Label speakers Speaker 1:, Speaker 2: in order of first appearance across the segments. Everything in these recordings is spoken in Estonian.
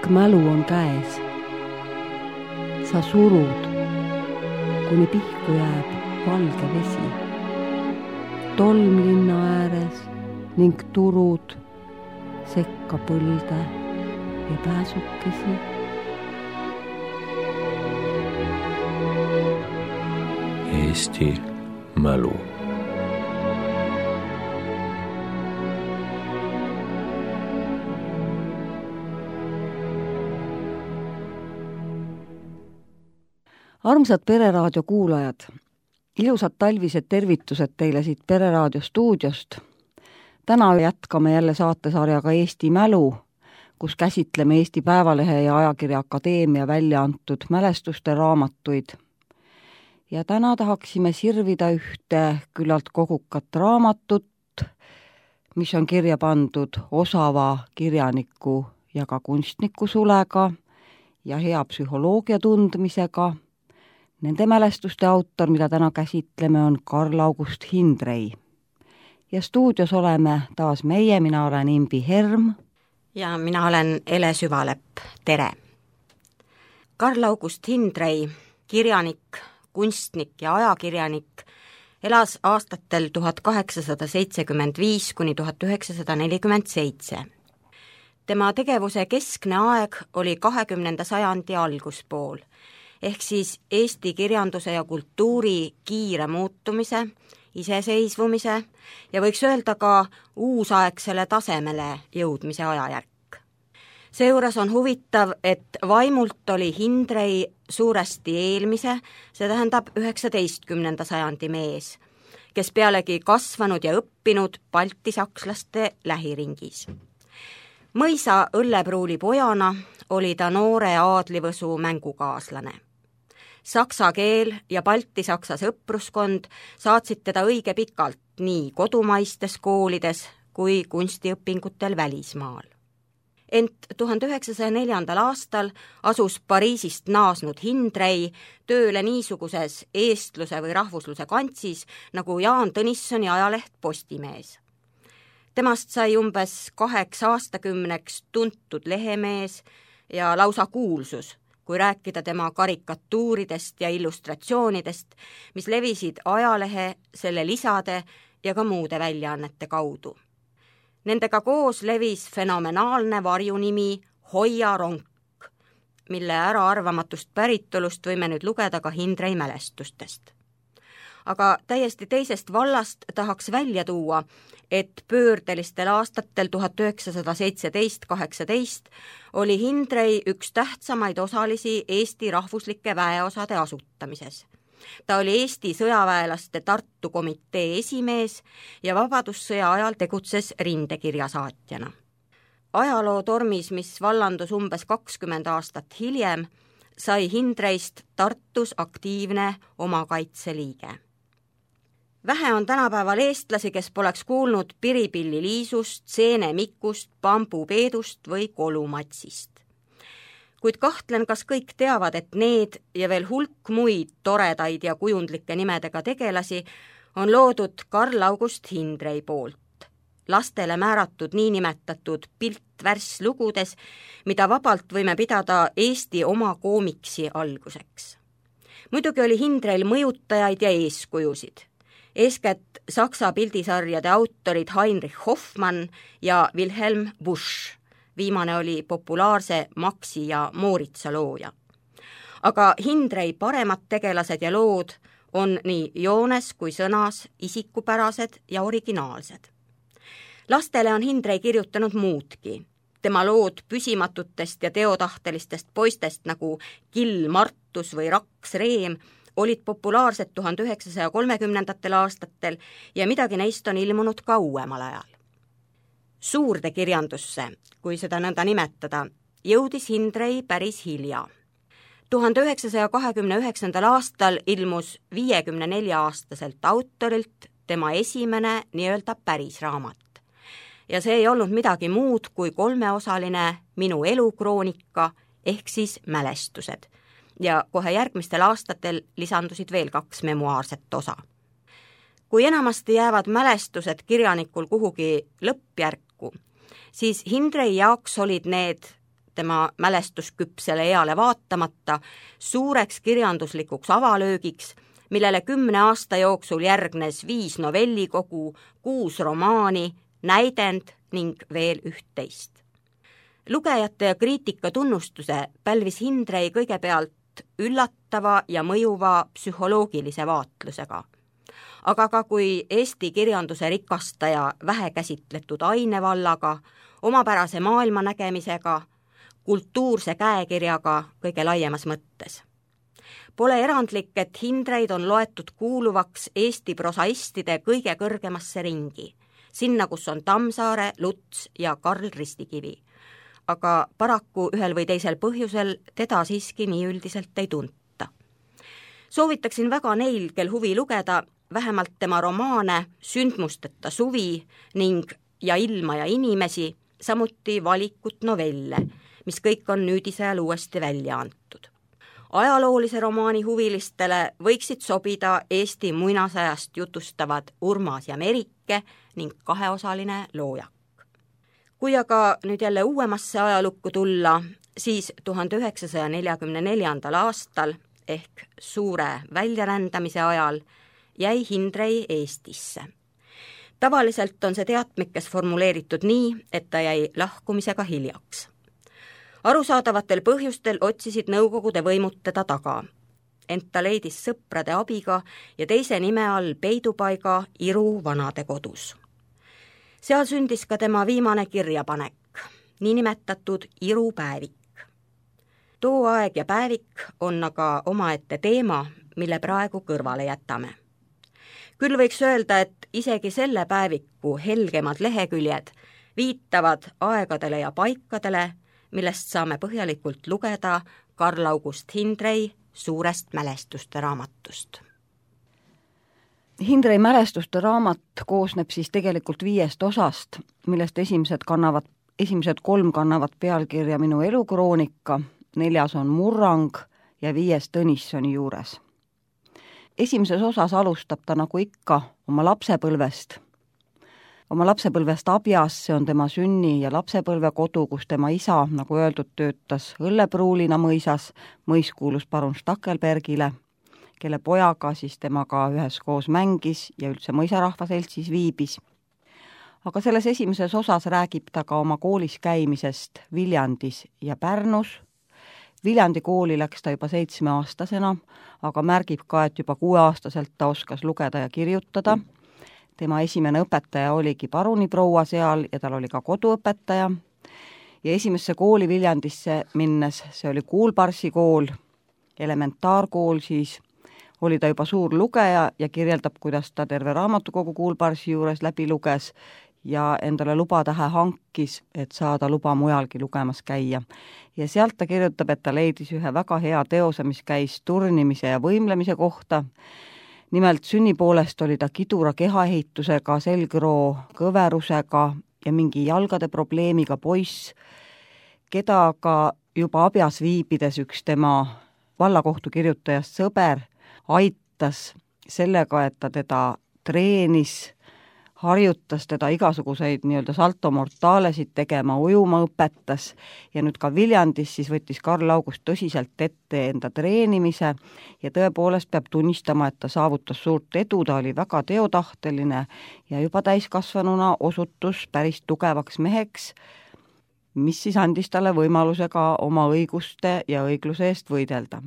Speaker 1: mälu on käes. Sa surud, kuni pihku jääb valge vesi. Tolm linna ääres ning turud sekka põlde ja pääsukesi.
Speaker 2: Eesti mälu.
Speaker 1: Armsad Pereraadio kuulajad, ilusad talvised tervitused teile siit Pereraadio stuudiost. Täna jätkame jälle saatesarjaga Eesti mälu, kus käsitleme Eesti Päevalehe ja Ajakirja Akadeemia välja antud mälestuste raamatuid. Ja täna tahaksime sirvida ühte küllalt kogukat raamatut, mis on kirja pandud osava kirjaniku ja ka kunstniku sulega ja hea psühholoogia tundmisega. Nende mälestuste autor, mida täna käsitleme, on Karl August Hindrey. Ja stuudios oleme taas meie, mina olen Imbi Herm.
Speaker 3: Ja mina olen Ele Süvalepp, tere! Karl August Hindrey, kirjanik, kunstnik ja ajakirjanik, elas aastatel 1875 kuni 1947. Tema tegevuse keskne aeg oli 20. sajandi alguspool, ehk siis Eesti kirjanduse ja kultuuri kiire muutumise, iseseisvumise ja võiks öelda ka uusaegsele tasemele jõudmise ajajärk. Seejuures on huvitav, et vaimult oli Hindrey suuresti eelmise, see tähendab 19. sajandi mees, kes pealegi kasvanud ja õppinud baltisakslaste lähiringis. Mõisa õllepruuli pojana oli ta noore aadlivõsu mängukaaslane. Saksa keel ja baltisaksa sõpruskond saatsid teda õige pikalt nii kodumaistes koolides kui kunstiõpingutel välismaal. Ent 1904. aastal asus Pariisist naasnud Hindrey tööle niisuguses eestluse või rahvusluse kantsis nagu Jaan Tõnissoni ajaleht Postimees. Temast sai umbes 2 aastakümneks tuntud lehemees ja lausa kuulsus, kui rääkida tema karikatuuridest ja illustratsioonidest, mis levisid ajalehe, selle lisade ja ka muude väljaannete kaudu. Nendega koos levis fenomenaalne varjunimi Hoia ronk, mille äraarvamatust päritolust võime nüüd lugeda ka Hindrey mälestustest. Aga täiesti teisest vallast tahaks välja tuua, et pöördelistel aastatel 1917-18 oli Hindrey üks tähtsamaid osalisi Eesti rahvuslike väeosade asutamises. Ta oli Eesti sõjaväelaste Tartu komitee esimees ja vabadussõja ajal tegutses rindekirjasaatjana. Ajaloo tormis, mis vallandus umbes 20 aastat hiljem, sai Hindreyst Tartus aktiivne omakaitseliige. Vähe on tänapäeval eestlasi, kes poleks kuulnud Piripilli Liisust, Seene Mikust, Pambu Peedust või Kolumatsist. Kuid kahtlen, kas kõik teavad, et need ja veel hulk muid toredaid ja kujundlike nimedega tegelasi on loodud Karl August Hindrey poolt, lastele määratud niinimetatud piltvärslugudes, mida vabalt võime pidada Eesti oma koomiksi alguseks. Muidugi oli Hindreyl mõjutajaid ja eeskujusid. Eeskätt saksa pildisarjade autorid Heinrich Hoffmann ja Wilhelm Busch. Viimane oli populaarse Maxi ja Mooritsa looja. Aga Hindrey paremad tegelased ja lood on nii joones kui sõnas isikupärased ja originaalsed. Lastele on Hindrey kirjutanud muudki. Tema lood püsimatutest ja teotahtelistest poistest nagu Kill Martus või Raks Reem olid populaarsed 1930. aastatel ja midagi neist on ilmunud ka uuemal ajal. Suurde kirjandusse, kui seda nõnda nimetada, jõudis Hindrey päris hilja. 1929. aastal ilmus 54-aastaselt autorilt tema esimene nii-öelda päris raamat. Ja see ei olnud midagi muud kui 3-osaline Minu elukroonika ehk siis mälestused. Ja kohe järgmistel aastatel lisandusid veel 2 memuaarset osa. Kui enamasti jäävad mälestused kirjanikul kuhugi lõppjärku, siis Hindrey jaoks olid need tema mälestusküpsele eale vaatamata suureks kirjanduslikuks avalöögiks, millele 10 aasta jooksul järgnes 5 novellikogu, 6 romaani, näidend ning veel 11. Lugejate ja kriitika tunnustuse pälvis Hindrei kõigepealt üllatava ja mõjuva psühholoogilise vaatlusega, aga ka kui Eesti kirjanduse rikastaja vähekäsitletud ainevallaga, omapärase maailmanägemisega, kultuurse käekirjaga kõige laiemas mõttes. Pole erandlik, et Hindreid on loetud kuuluvaks Eesti prosaistide kõige kõrgemasse ringi, sinna, kus on Tammsaare, Luts ja Karl Ristikivi. Aga paraku ühel või teisel põhjusel teda siiski nii üldiselt ei tunta. Soovitaksin väga neil, kel huvi lugeda, vähemalt tema romaane Sündmusteta suvi ning Ja ilma ja inimesi, samuti valikut novelle, mis kõik on nüüdisajal uuesti välja antud. Ajaloolise romaani huvilistele võiksid sobida Eesti muinasajast jutustavad Urmas ja Merike ning 2-osaline Loojak. Kui aga nüüd jälle uuemasse ajalukku tulla, siis 1944. aastal ehk suure väljarändamise ajal jäi Hindrei Eestisse. Tavaliselt on see teatmikes formuleeritud nii, et ta jäi lahkumisega hiljaks. Arusaadavatel põhjustel otsisid nõukogude võimud teda taga, ent ta leidis sõprade abiga ja teise nime all peidupaiga Iru vanadekodus. Seal sündis ka tema viimane kirjapanek, niinimetatud Iru päevik. Too aeg ja päevik on aga omaette teema, mille praegu kõrvale jätame. Küll võiks öelda, et isegi selle päeviku helgemad leheküljed viitavad aegadele ja paikadele, millest saame põhjalikult lugeda Karl August Hindrei suurest mälestuste raamatust.
Speaker 1: Hindrei mälestuste raamat koosneb siis tegelikult 5 osast, millest esimesed 3 kannavad pealkirja Minu elukroonika, 4. on Murrang ja 5. Tõnissoni juures. Esimeses osas alustab ta nagu ikka oma lapsepõlvest. Oma lapsepõlvest Abjas, see on tema sünni- ja lapsepõlvekodu, kus tema isa, nagu öeldud, töötas õllepruulina mõisas, mõis kuulus parun Stackelbergile, kelle pojaga siis temaga üheskoos mängis ja üldse mõisarahva seltsis viibis. Aga selles esimeses osas räägib ta ka oma koolis käimisest Viljandis ja Pärnus. Viljandi kooli läks ta juba 7-aastasena, aga märgib ka, et juba 6-aastaselt ta oskas lugeda ja kirjutada. Tema esimene õpetaja oligi paruniproua seal ja tal oli ka koduõpetaja. Ja esimesse kooli Viljandisse minnes, see oli Kuulparsi kool, elementaarkool siis, oli ta juba suur lugeja ja kirjeldab, kuidas ta terve raamatukogu Kuulparsi juures läbi luges ja endale lubatähe hankis, et saada luba mujalgi lugemas käia. Ja sealt ta kirjutab, et ta leidis ühe väga hea teose, mis käis turnimise ja võimlemise kohta. Nimelt sünnipoolest oli ta kidura kehaehitusega, selgroo kõverusega ja mingi jalgade probleemiga poiss, keda ka juba Abjas viibides üks tema vallakohtu kirjutajast sõber aitas sellega, et ta teda treenis, harjutas teda igasuguseid nii-öelda salto mortalesid tegema, ujuma õpetas ja nüüd ka Viljandis siis võttis Karl August tõsiselt ette enda treenimise ja tõepoolest peab tunnistama, et ta saavutas suurt edu, ta oli väga teotahteline ja juba täiskasvanuna osutus päris tugevaks meheks, mis siis andis talle võimaluse ka oma õiguste ja õigluse eest võidelda.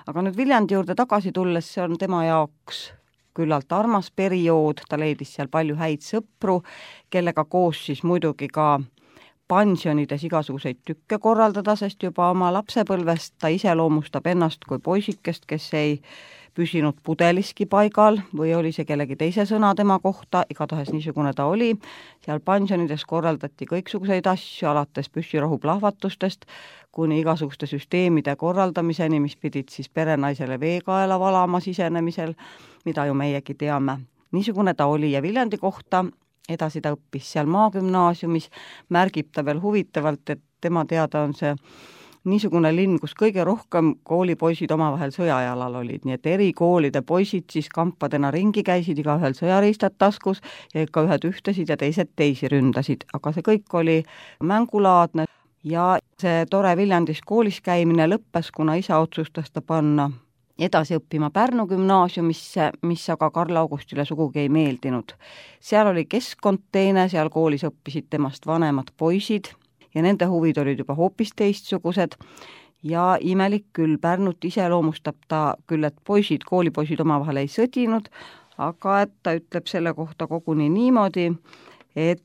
Speaker 1: Aga nüüd Viljandi juurde tagasi tulles, see on tema jaoks küllalt armas periood, ta leidis seal palju häid sõpru, kellega koos siis muidugi ka pensionides igasuguseid tükke korraldada, sest juba oma lapsepõlvest ta iseloomustab ennast kui poisikest, kes ei püsinud pudeliski paigal või oli see kellegi teise sõna tema kohta, igatahes niisugune ta oli. Seal pensionides korraldati kõiksuguseid asju, alates püssirohu plahvatustest kuni igasuguste süsteemide korraldamiseni, mis pidid siis perenaisele veekaela valama sisenemisel, mida ju meiegi teame. Niisugune ta oli ja Viljandi kohta edasi ta õppis seal maagümnaasiumis, märgib ta veel huvitavalt, et tema teada on see niisugune linn, kus kõige rohkem koolipoisid omavahel sõjajalal olid, nii et eri koolide poisid siis kampadena ringi käisid, igaühel sõjariistad taskus ja ikka ühed ühtesid ja teised teisi ründasid, aga see kõik oli mängulaadne. ja see tore Viljandis koolis käimine lõppes, kuna isa otsustas ta panna edasi õppima Pärnu gümnaasiumisse, mis aga Karl Augustile sugugi ei meeldinud. Seal oli keskkond teine, seal koolis õppisid temast vanemad poisid ja nende huvid olid juba hoopis teistsugused ja imelik küll, Pärnut iseloomustab ta küll, et koolipoisid omavahel ei sõdinud, aga et ta ütleb selle kohta koguni niimoodi, et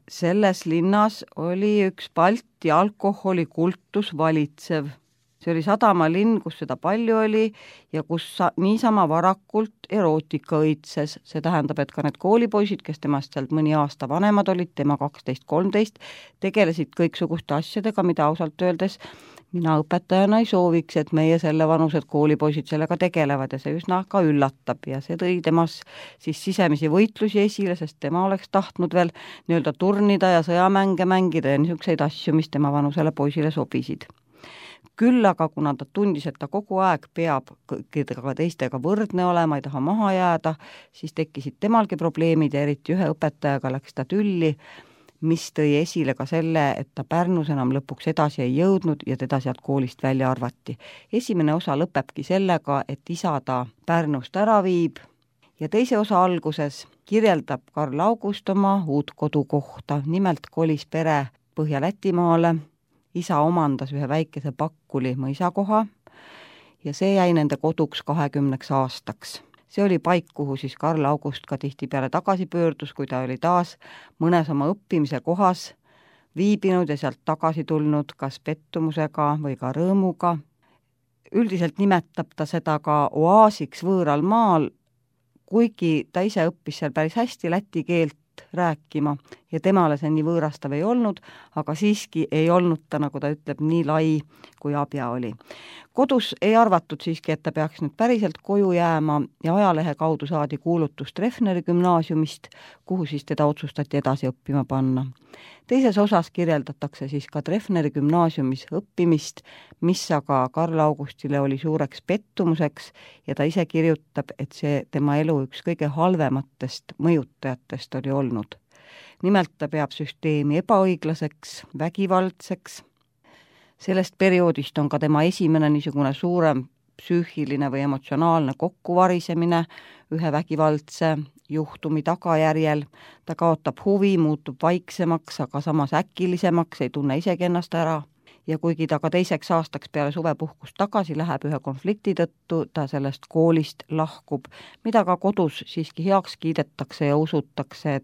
Speaker 1: selles linnas oli üks Balti alkoholikultus valitsev. See oli sadamalinn, kus seda palju oli ja kus niisama varakult erootika õitses. See tähendab, et ka need koolipoisid, kes temast sealt mõni aasta vanemad olid, tema 12-13, tegelesid kõiksuguste asjadega, mida ausalt öeldes mina õpetajana ei sooviks, et meie selle vanused koolipoisid sellega tegelevad ja see üsna ka üllatab ja see tõi temas siis sisemisi võitlusi esile, sest tema oleks tahtnud veel nii-öelda turnida ja sõjamänge mängida ja niisuguseid asju, mis tema vanusele poisile sobisid. Küll aga, kuna ta tundis, et ta kogu aeg peab kõikidega teistega võrdne olema, ei taha maha jääda, siis tekkisid temalgi probleemid ja eriti ühe õpetajaga läks ta tülli, mis tõi esile ka selle, et ta Pärnus enam lõpuks edasi ei jõudnud ja teda sealt koolist välja arvati. Esimene osa lõpebki sellega, et isa ta Pärnust ära viib ja teise osa alguses kirjeldab Karl August oma uut kodukohta, nimelt kolis pere Põhja-Lätimaale. Isa omandas ühe väikese Pakkuli mõisakoha ja see jäi nende koduks 20 aastaks. See oli paik, kuhu siis Karl August ka tihtipeale tagasi pöördus, kui ta oli taas mõnes oma õppimise kohas viibinud ja sealt tagasi tulnud kas pettumusega või ka rõõmuga. Üldiselt nimetab ta seda ka oaasiks võõral maal, kuigi ta ise õppis seal päris hästi läti keelt rääkima ja temale see nii võõrastav ei olnud, aga siiski ei olnud ta, nagu ta ütleb, nii lai, kui Abja oli. Kodus ei arvatud siiski, et ta peaks nüüd päriselt koju jääma ja ajalehe kaudu saadi kuulutus Treffneri gümnaasiumist, kuhu siis teda otsustati edasi õppima panna. Teises osas kirjeldatakse siis ka Treffneri gümnaasiumis õppimist, mis aga Karl Augustile oli suureks pettumuseks ja ta ise kirjutab, et see tema elu üks kõige halvematest mõjutajatest oli olnud. Nimelt ta peab süsteemi ebaõiglaseks, vägivaldseks. Sellest perioodist on ka tema esimene niisugune suurem psüühiline või emotsionaalne kokkuvarisemine ühe vägivaldse juhtumi tagajärjel. Ta kaotab huvi, muutub vaiksemaks, aga samas äkilisemaks, ei tunne isegi ennast ära. Ja kuigi ta ka teiseks aastaks peale suvepuhkust tagasi läheb ühe konflikti tõttu, ta sellest koolist lahkub, mida ka kodus siiski heaks kiidetakse ja usutakse,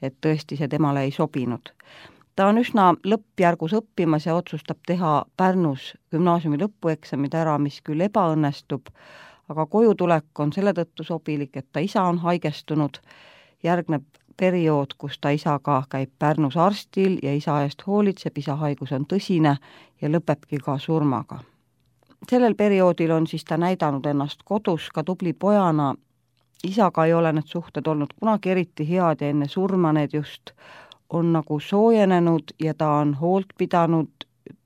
Speaker 1: et tõesti see temale ei sobinud. Ta on üsna lõppjärgus õppimas ja otsustab teha Pärnus gümnaasiumi lõpueksamid ära, mis küll ebaõnnestub, aga kojutulek on selle tõttu sobilik, et ta isa on haigestunud, järgneb periood, kus ta isaga käib Pärnus arstil ja isa eest hoolitseb, isa haigus on tõsine ja lõpebki ka surmaga. Sellel perioodil on siis ta näidanud ennast kodus ka tubli pojana, isaga ei ole need suhted olnud kunagi eriti head ja enne surma need just on nagu soojenenud ja ta on hoolt pidanud,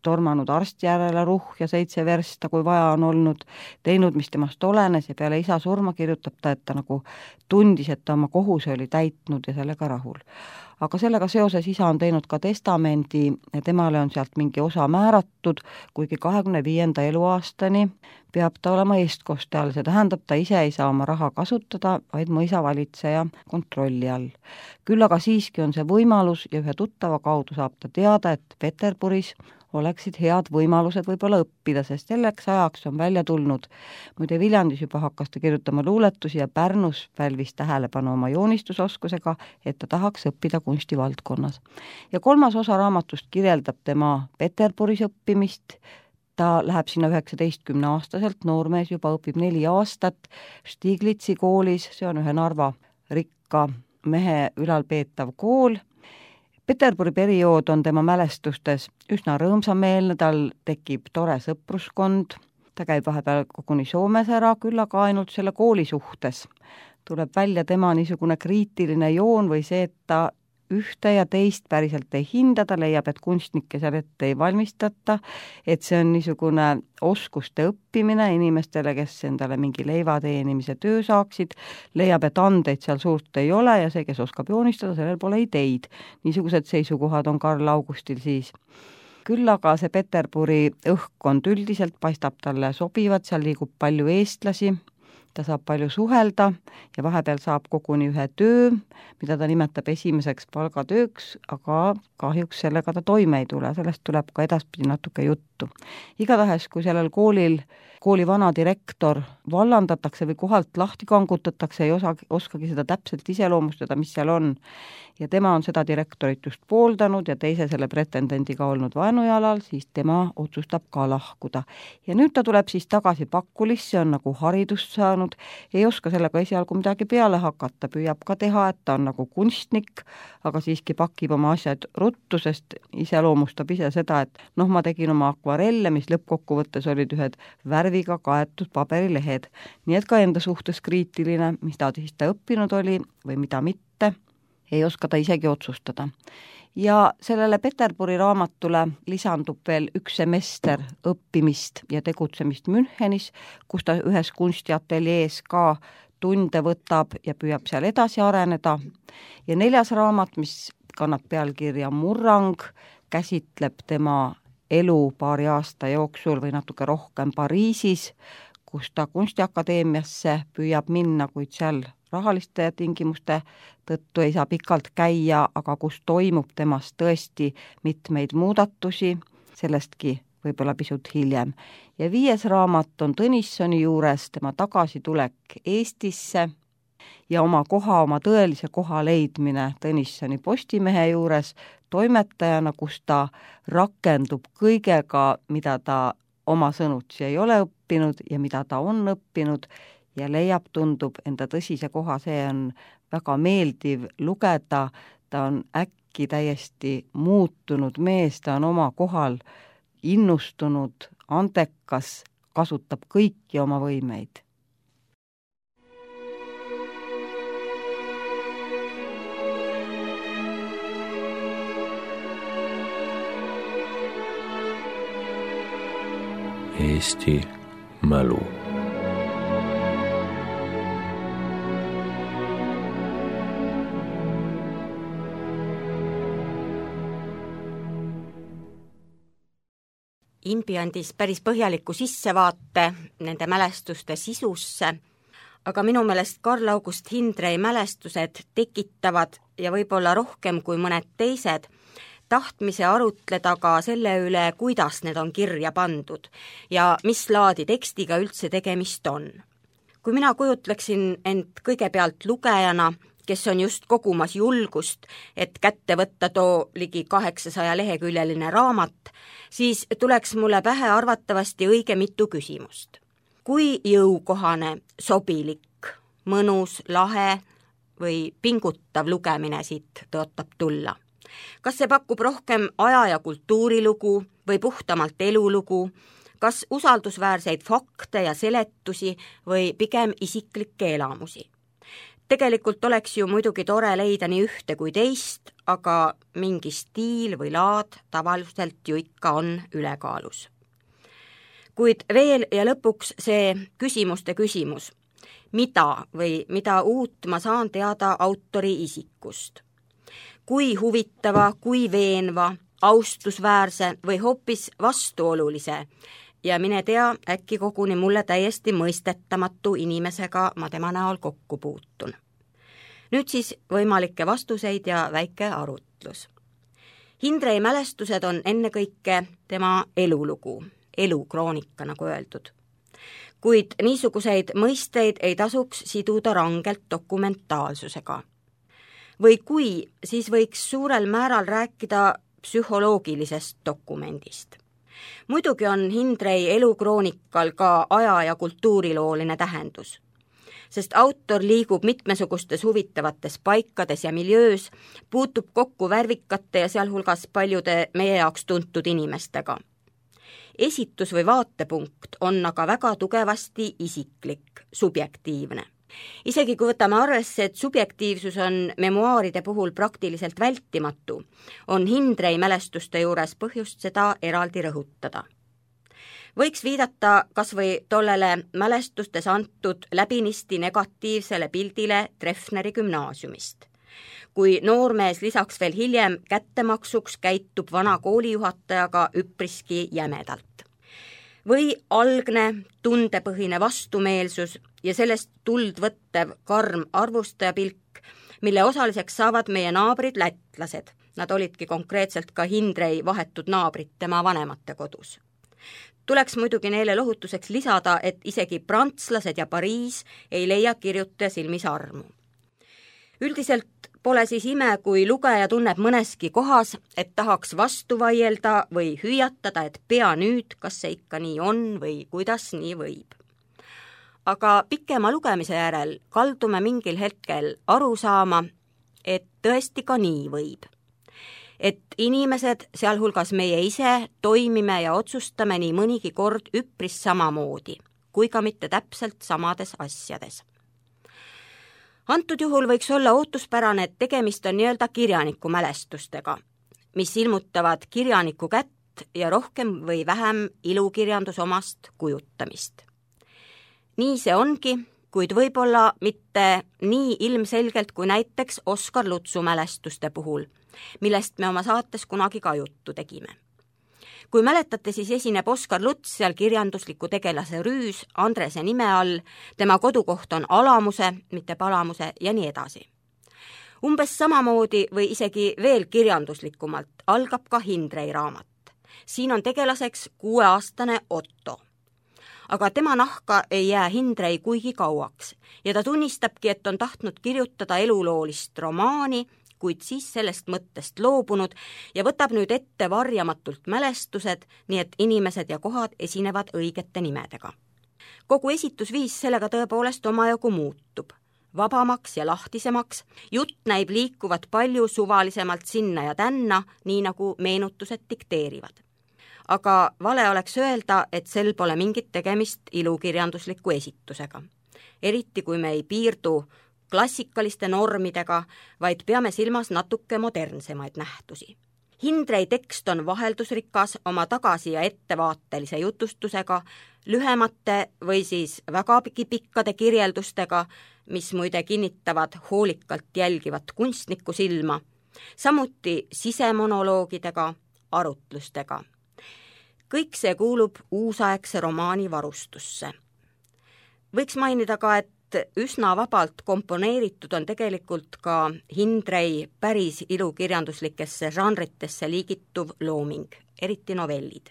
Speaker 1: tormanud arsti järele ruhja 7 versta, kui vaja on olnud, teinud, mis temast olenes ja peale isa surma kirjutab ta, et ta nagu tundis, et ta oma kohuse oli täitnud ja sellega rahul. Aga sellega seoses isa on teinud ka testamendi ja temale on sealt mingi osa määratud, kuigi 25. eluaastani peab ta olema eestkoste all, see tähendab, ta ise ei saa oma raha kasutada, vaid mõisavalitseja kontrolli all. Küll aga siiski on see võimalus ja ühe tuttava kaudu saab ta teada, et Peterburis oleksid head võimalused võib-olla õppida, sest selleks ajaks on välja tulnud. Muide Viljandis juba hakkas ta kirjutama luuletusi ja Pärnus pälvis tähelepanu oma joonistusoskusega, et ta tahaks õppida kunstivaldkonnas. Ja 3. osa raamatust kirjeldab tema Peterburis õppimist. Ta läheb sinna 19-aastaselt, noormees juba õpib 4 aastat Stiglitzi koolis, see on ühe Narva rikka mehe ülalpeetav kool. Peterburi periood on tema mälestustes üsna rõõmsameelne, tal tekib tore sõpruskond, ta käib vahepeal koguni Soomes ära, küll aga ainult selle kooli suhtes. Tuleb välja tema niisugune kriitiline joon või see, et ta ühte ja teist päriselt ei hinda, ta leiab, et kunstnikke seal ette ei valmistata, et see on niisugune oskuste õppimine inimestele, kes endale mingi leiva teenimise töö saaksid, leiab, et andeid seal suurt ei ole ja see, kes oskab joonistada, sellel pole ideid. Niisugused seisukohad on Karl Augustil siis. Küll aga see Peterburi õhkkond üldiselt paistab talle sobivat, seal liigub palju eestlasi, ta saab palju suhelda ja vahepeal saab koguni ühe töö, mida ta nimetab esimeseks palgatööks, aga kahjuks sellega ta toime ei tule, sellest tuleb ka edaspidi natuke juttu. Igatahes, kui sellel kooli vana direktor vallandatakse või kohalt lahti kangutatakse, ei oskagi seda täpselt iseloomustada, mis seal on. Ja tema on seda direktorit just pooldanud ja teise selle pretendendiga olnud vaenujalal, siis tema otsustab ka lahkuda. Ja nüüd ta tuleb siis tagasi Pakulisse, on nagu haridust saanud, ei oska sellega esialgu midagi peale hakata, püüab ka teha, et ta on nagu kunstnik, aga siiski pakib oma asjad ruttu, sest iseloomustab ise seda, et ma tegin oma akvarelle, mis lõppkokkuvõttes olid ühed värviga kaetud paberilehed. Nii et ka enda suhtes kriitiline, mis ta siis õppinud oli või mida mitte, ei oska ta isegi otsustada. Ja sellele Peterburi raamatule lisandub veel üks semester õppimist ja tegutsemist Münchenis, kus ta ühes kunstiateljees ka tunde võtab ja püüab seal edasi areneda. Ja 4. raamat, mis kannab pealkirja Murrang, käsitleb tema elu paari aasta jooksul või natuke rohkem Pariisis, kus ta kunstiakadeemiasse püüab minna, kuid seal rahaliste tingimuste tõttu ei saa pikalt käia, aga kus toimub temast tõesti mitmeid muudatusi, sellestki võib-olla pisut hiljem. Ja 5. raamat on Tõnissoni juures, tema tagasitulek Eestisse ja oma tõelise koha leidmine Tõnissoni Postimehe juures toimetajana, kus ta rakendub kõigega, mida ta oma sõnutsi ei ole õppinud ja mida ta on õppinud ja leiab, tundub enda tõsise koha, see on väga meeldiv lugeda, ta on äkki täiesti muutunud mees, ta on oma kohal innustunud, andekas, kasutab kõiki oma võimeid.
Speaker 2: Eesti mälu.
Speaker 3: Imbi andis päris põhjaliku sissevaate nende mälestuste sisusse, aga minu meelest Karl August Hindrei mälestused tekitavad ja võib-olla rohkem kui mõned teised tahtmise arutleda ka selle üle, kuidas need on kirja pandud ja mis laadi tekstiga üldse tegemist on. Kui mina kujutleksin end kõigepealt lugejana, kes on just kogumas julgust, et kätte võtta too ligi 800 leheküljeline raamat, siis tuleks mulle pähe arvatavasti õige mitu küsimust. Kui jõukohane, sobilik, mõnus, lahe või pingutav lugemine siit tõotab tulla? Kas see pakub rohkem aja- ja kultuurilugu või puhtamalt elulugu, kas usaldusväärseid fakte ja seletusi või pigem isiklikke elamusi? Tegelikult oleks ju muidugi tore leida nii ühte kui teist, aga mingi stiil või laad tavaliselt ju ikka on ülekaalus. Kuid veel ja lõpuks see küsimuste küsimus. Mida uut ma saan teada autori isikust? Kui huvitava, kui veenva, austusväärse või hoopis vastuolulise ja mine tea, äkki koguni mulle täiesti mõistetamatu inimesega ma tema näol kokku puutun. Nüüd siis võimalikke vastuseid ja väike arutlus. Hindrei mälestused on ennekõike tema elulugu, elukroonika nagu öeldud. Kuid niisuguseid mõisteid ei tasuks siduda rangelt dokumentaalsusega. Või kui, siis võiks suurel määral rääkida psühholoogilisest dokumendist. Muidugi on Hindrei elukroonikal ka aja- ja kultuurilooline tähendus, sest autor liigub mitmesugustes huvitavates paikades ja miljöös, puutub kokku värvikate ja sealhulgas paljude meie jaoks tuntud inimestega. Esitus või vaatepunkt on aga väga tugevasti isiklik, subjektiivne. Isegi kui võtame arvesse, et subjektiivsus on memuaaride puhul praktiliselt vältimatu, on Hindrei mälestuste juures põhjust seda eraldi rõhutada. Võiks viidata kas või tollele mälestustes antud läbinisti negatiivsele pildile Treffneri gümnaasiumist, kui noormees lisaks veel hiljem kättemaksuks käitub vana koolijuhatajaga üpriski jämedalt. Või algne tundepõhine vastumeelsus ja sellest tuld võttev karm arvustajapilk, mille osaliseks saavad meie naabrid lätlased. Nad olidki konkreetselt ka Hindrei vahetud naabrid tema vanemate kodus. Tuleks muidugi neile lohutuseks lisada, et isegi prantslased ja Pariis ei leia kirjutaja silmis armu. Üldiselt pole siis ime, kui lugeja tunneb mõneski kohas, et tahaks vastu vaielda või hüüatada, et pea nüüd, kas see ikka nii on või kuidas nii võib. Aga pikema lugemise järel kaldume mingil hetkel aru saama, et tõesti ka nii võib. Et inimesed, sealhulgas meie ise, toimime ja otsustame nii mõnigi kord üpris samamoodi, kui ka mitte täpselt samades asjades. Antud juhul võiks olla ootuspärane, et tegemist on nii-öelda kirjaniku mälestustega, mis ilmutavad kirjaniku kätt ja rohkem või vähem ilukirjandusomast kujutamist. Nii see ongi, kuid võib-olla mitte nii ilmselgelt kui näiteks Oskar Lutsu mälestuste puhul, millest me oma saates kunagi ka juttu tegime. Kui mäletate, siis esineb Oskar Luts seal kirjandusliku tegelase Rüüs Andrese nime all, tema kodukoht on Alamuse, mitte Palamuse ja nii edasi. Umbes samamoodi või isegi veel kirjanduslikumalt algab ka Hindrei raamat. Siin on tegelaseks 6-aastane Otto. Aga tema nahka ei jää Hindrei kuigi kauaks ja ta tunnistabki, et on tahtnud kirjutada eluloolist romaani, kuid siis sellest mõttest loobunud ja võtab nüüd ette varjamatult mälestused, nii et inimesed ja kohad esinevad õigete nimedega. Kogu esitusviis sellega tõepoolest omajagu muutub. Vabamaks ja lahtisemaks, jutt näib liikuvat palju suvalisemalt sinna ja tänna, nii nagu meenutused dikteerivad. Aga vale oleks öelda, et sel pole mingit tegemist ilukirjandusliku esitusega. Eriti kui me ei piirdu klassikaliste normidega, vaid peame silmas natuke modernsemaid nähtusi. Hindrei tekst on vaheldusrikas oma tagasi- ja ettevaatelise jutustusega, lühemate või siis väga pikkade kirjeldustega, mis muide kinnitavad hoolikalt jälgivat kunstniku silma, samuti sisemonoloogidega, arutlustega. Kõik see kuulub uusaegse romaani varustusse. Võiks mainida ka, et üsna vabalt komponeeritud on tegelikult ka Hindrei päris ilukirjanduslikesse žanritesse liigituv looming, eriti novellid.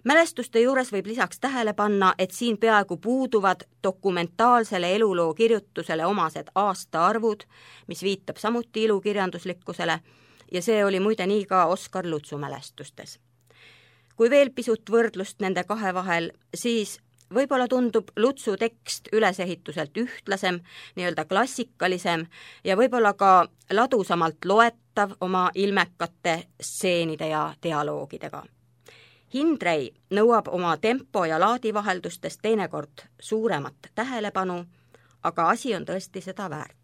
Speaker 3: Mälestuste juures võib lisaks tähele panna, et siin peaaegu puuduvad dokumentaalsele eluloo kirjutusele omased aastaarvud, mis viitab samuti ilukirjanduslikkusele, ja see oli muide nii ka Oskar Lutsu mälestustes. Kui veel pisut võrdlust nende kahe vahel, siis võib-olla tundub Lutsu tekst ülesehituselt ühtlasem, nii-öelda klassikalisem ja võib-olla ka ladusamalt loetav oma ilmekate stseenide ja dialoogidega. Hindrei nõuab oma tempo ja laadivaheldustest teinekord suuremat tähelepanu, aga asi on tõesti seda väärt.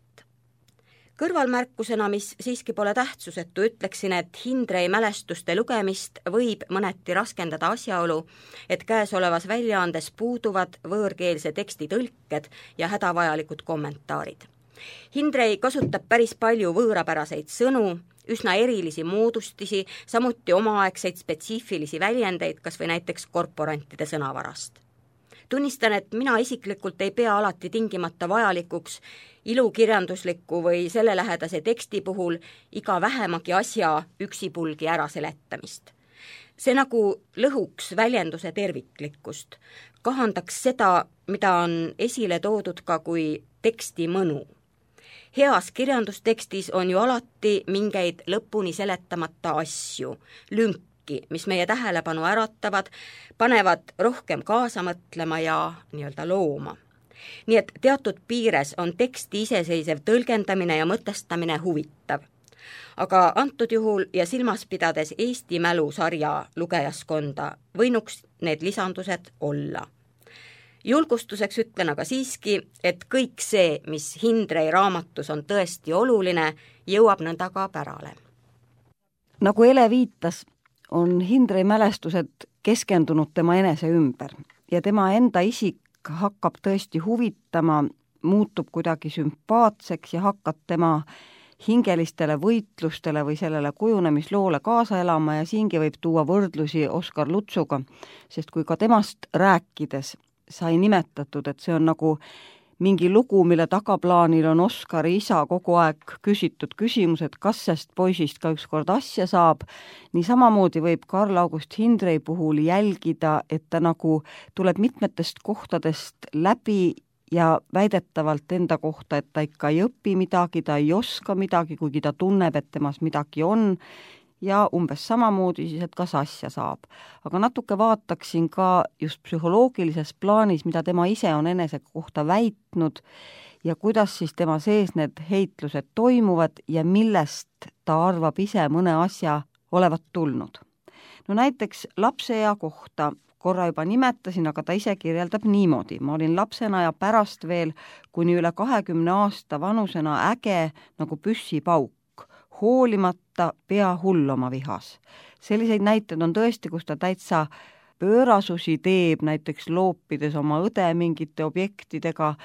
Speaker 3: Kõrvalmärkusena, mis siiski pole tähtsusetu, ütleksin, et Hindrei mälestuste lugemist võib mõneti raskendada asjaolu, et käesolevas väljaandes puuduvad võõrkeelse teksti tõlked ja hädavajalikud kommentaarid. Hindrei kasutab päris palju võõrapäraseid sõnu, üsna erilisi moodustisi, samuti omaaegseid spetsiifilisi väljendeid, kas või näiteks korporantide sõnavarast. Tunnistan, et mina isiklikult ei pea alati tingimata vajalikuks ilukirjandusliku või selle lähedase teksti puhul iga vähemagi asja üksipulgi ära seletamist. See nagu lõhuks väljenduse terviklikkust, kahandaks seda, mida on esile toodud ka kui teksti mõnu. Heas kirjandustekstis on ju alati mingeid lõpuni seletamata asju, lünki, mis meie tähelepanu äratavad, panevad rohkem kaasa mõtlema ja nii-öelda looma. Nii et teatud piires on teksti iseseisev tõlgendamine ja mõtestamine huvitav. Aga antud juhul ja silmas pidades Eesti mälusarja lugejaskonda võinuks need lisandused olla. Julgustuseks ütlen aga siiski, et kõik see, mis Hindrei raamatus on tõesti oluline, jõuab nõnda ka pärale.
Speaker 1: Nagu Ele viitas, on Hindrei mälestused keskendunud tema enese ümber ja tema enda isik hakkab tõesti huvitama, muutub kuidagi sümpaatseks ja hakkab tema hingelistele võitlustele või sellele kujunemisloole kaasa elama ja siingi võib tuua võrdlusi Oskar Lutsuga, sest kui ka temast rääkides sai nimetatud, et see on nagu mingi lugu, mille tagaplaanil on Oskari isa kogu aeg küsitud küsimus, et kas sest poisist ka ükskord asja saab, nii samamoodi võib Karl August Hindrey puhul jälgida, et ta nagu tuleb mitmetest kohtadest läbi ja väidetavalt enda kohta, et ta ikka ei õpi midagi, ta ei oska midagi, kuigi ta tunneb, et temas midagi on, ja umbes samamoodi siis, et kas asja saab. Aga natuke vaataksin ka just psühholoogilises plaanis, mida tema ise on enese kohta väitnud ja kuidas siis tema sees need heitlused toimuvad ja millest ta arvab ise mõne asja olevat tulnud. No näiteks lapseea kohta korra juba nimetasin, aga ta ise kirjeldab niimoodi. Ma olin lapsena ja pärast veel kuni üle 20 aasta vanusena äge nagu püssipauk, hoolimata pea hull oma vihas. Selliseid näiteid on tõesti, kus ta täitsa pöörasusi teeb, näiteks loopides oma õde mingite objektidega